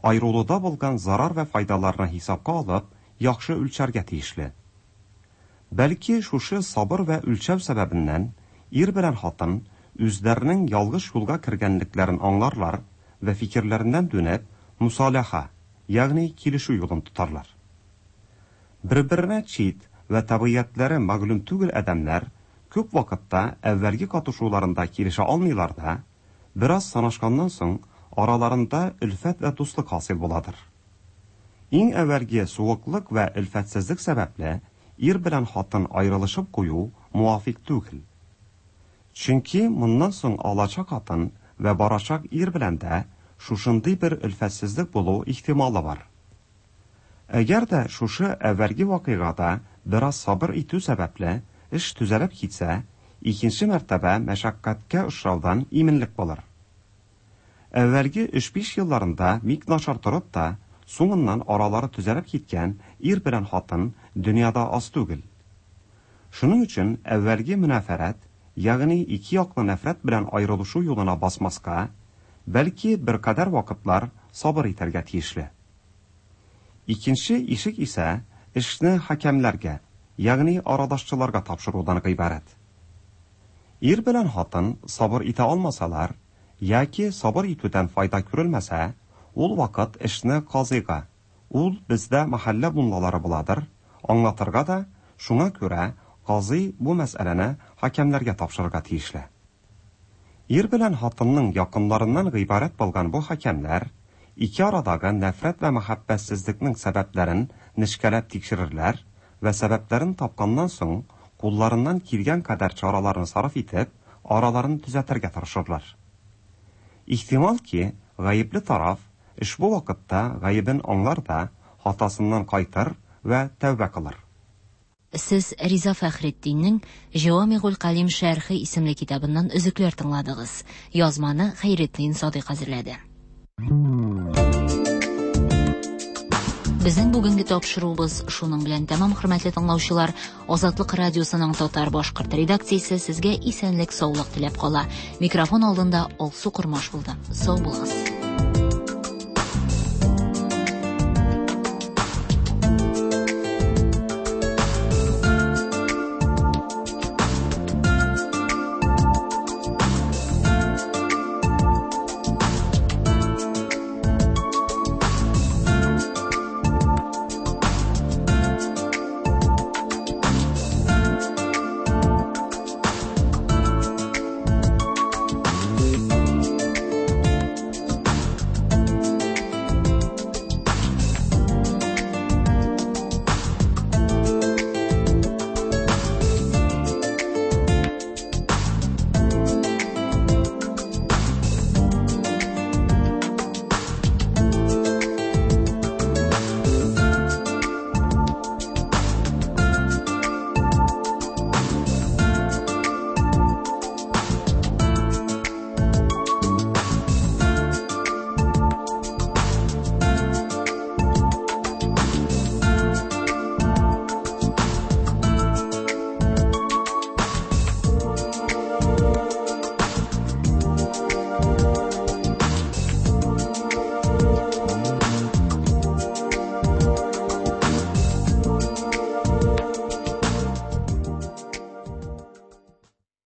аерылуда булган зарар вә файдаларны хисапка алып, яхшы үлчәргә тиешле. Бәлки шушы сабыр вә үлчәү сәбәбеннән ир белән хатын үзләренең ялгыш юлга кергәнлекләрен аңларлар вә фикерләреннән дөнеп мусалаха, ягъни килешү юлын тотарлар. Бер-беренә чит вә табигатьләре мәгълүм түгел адәмнәр күп вакытта әүвәлге катышуларында килешә алмыйлар да, бераз санашканнан соң араларында өлфәт вә дуслык хасил буладыр. Иң әүвәлге суыклык вә өлфәтсезлек сәбәпле ир белән хатын аерылышып кую муафик түгел. Чөнки моннан соң алачак хатын вә барачак ир белән дә шушындый бер өлфәтсезлек булу ихтималы бар. Әгәр дә шушы әүвәлге вакыйгада бераз сабыр итү сәбәпле эш төзәлеп китсә, икенче мәртәбә мәшәкатькә очраудан иминлек булыр. Әүвәлге өч-биш елларында бик начар торып та, соңыннан аралары төзәлеп киткән ир белән хатын дөньяда аз түгел. Шуның өчен әүвәлге мөнәфәрәт, ягъни ике яклы нәфрәт белән аерылышу юлына басмаска, бәлки беркадәр вакытлар сабыр итәргә тиешле. Икенче ишек исә эшне хакәмләргә, ягъни арадашчыларга тапшырудан гыйбарәт. Ир белән хатын сабыр итә алмасалар, яки сабыр итүдән файда күрелмәсә, ул вакыт эшне казыйга, ул бездә мәхәллә муллалары буладыр, аңлатырга да, шуңа күрә казый бу мәсьәләне хакәмләргә тапшырырга тиешле. Ир белән хатынның якынларыннан гыйбарәт булган бу хакәмләр ике арадагы нәфрәт вә мәхәббәтсезлекнең сәбәпләрен нечкәләп тикшерерләр вә сәбәпләрен тапканнан соң кулларыннан килгән кадәр чараларны сарыф итеп, араларын төзәтергә тырышырлар. Ихтимал ки, гаепле тараф ошбу вакытта гаебен аңлар да, хатасыннан кайтыр вә тәүбә кылыр. Сез Риза Фәхретдиннең Җавамигуль Калим шәрхе исемле китабыннан өзекләр тыңладыгыз. Язманы Хәйретдин Садыйк әзерләде. Безнең бүгенге тапшыруыбыз шуның белән тәмам, хөрмәтле тыңлаучылар. Азатлык радиосының татар башкорт редакциясе сезгә исәнлек, саулык теләп кала. Микрофон алдында Алсу Кормаш булды. Сау булыгыз.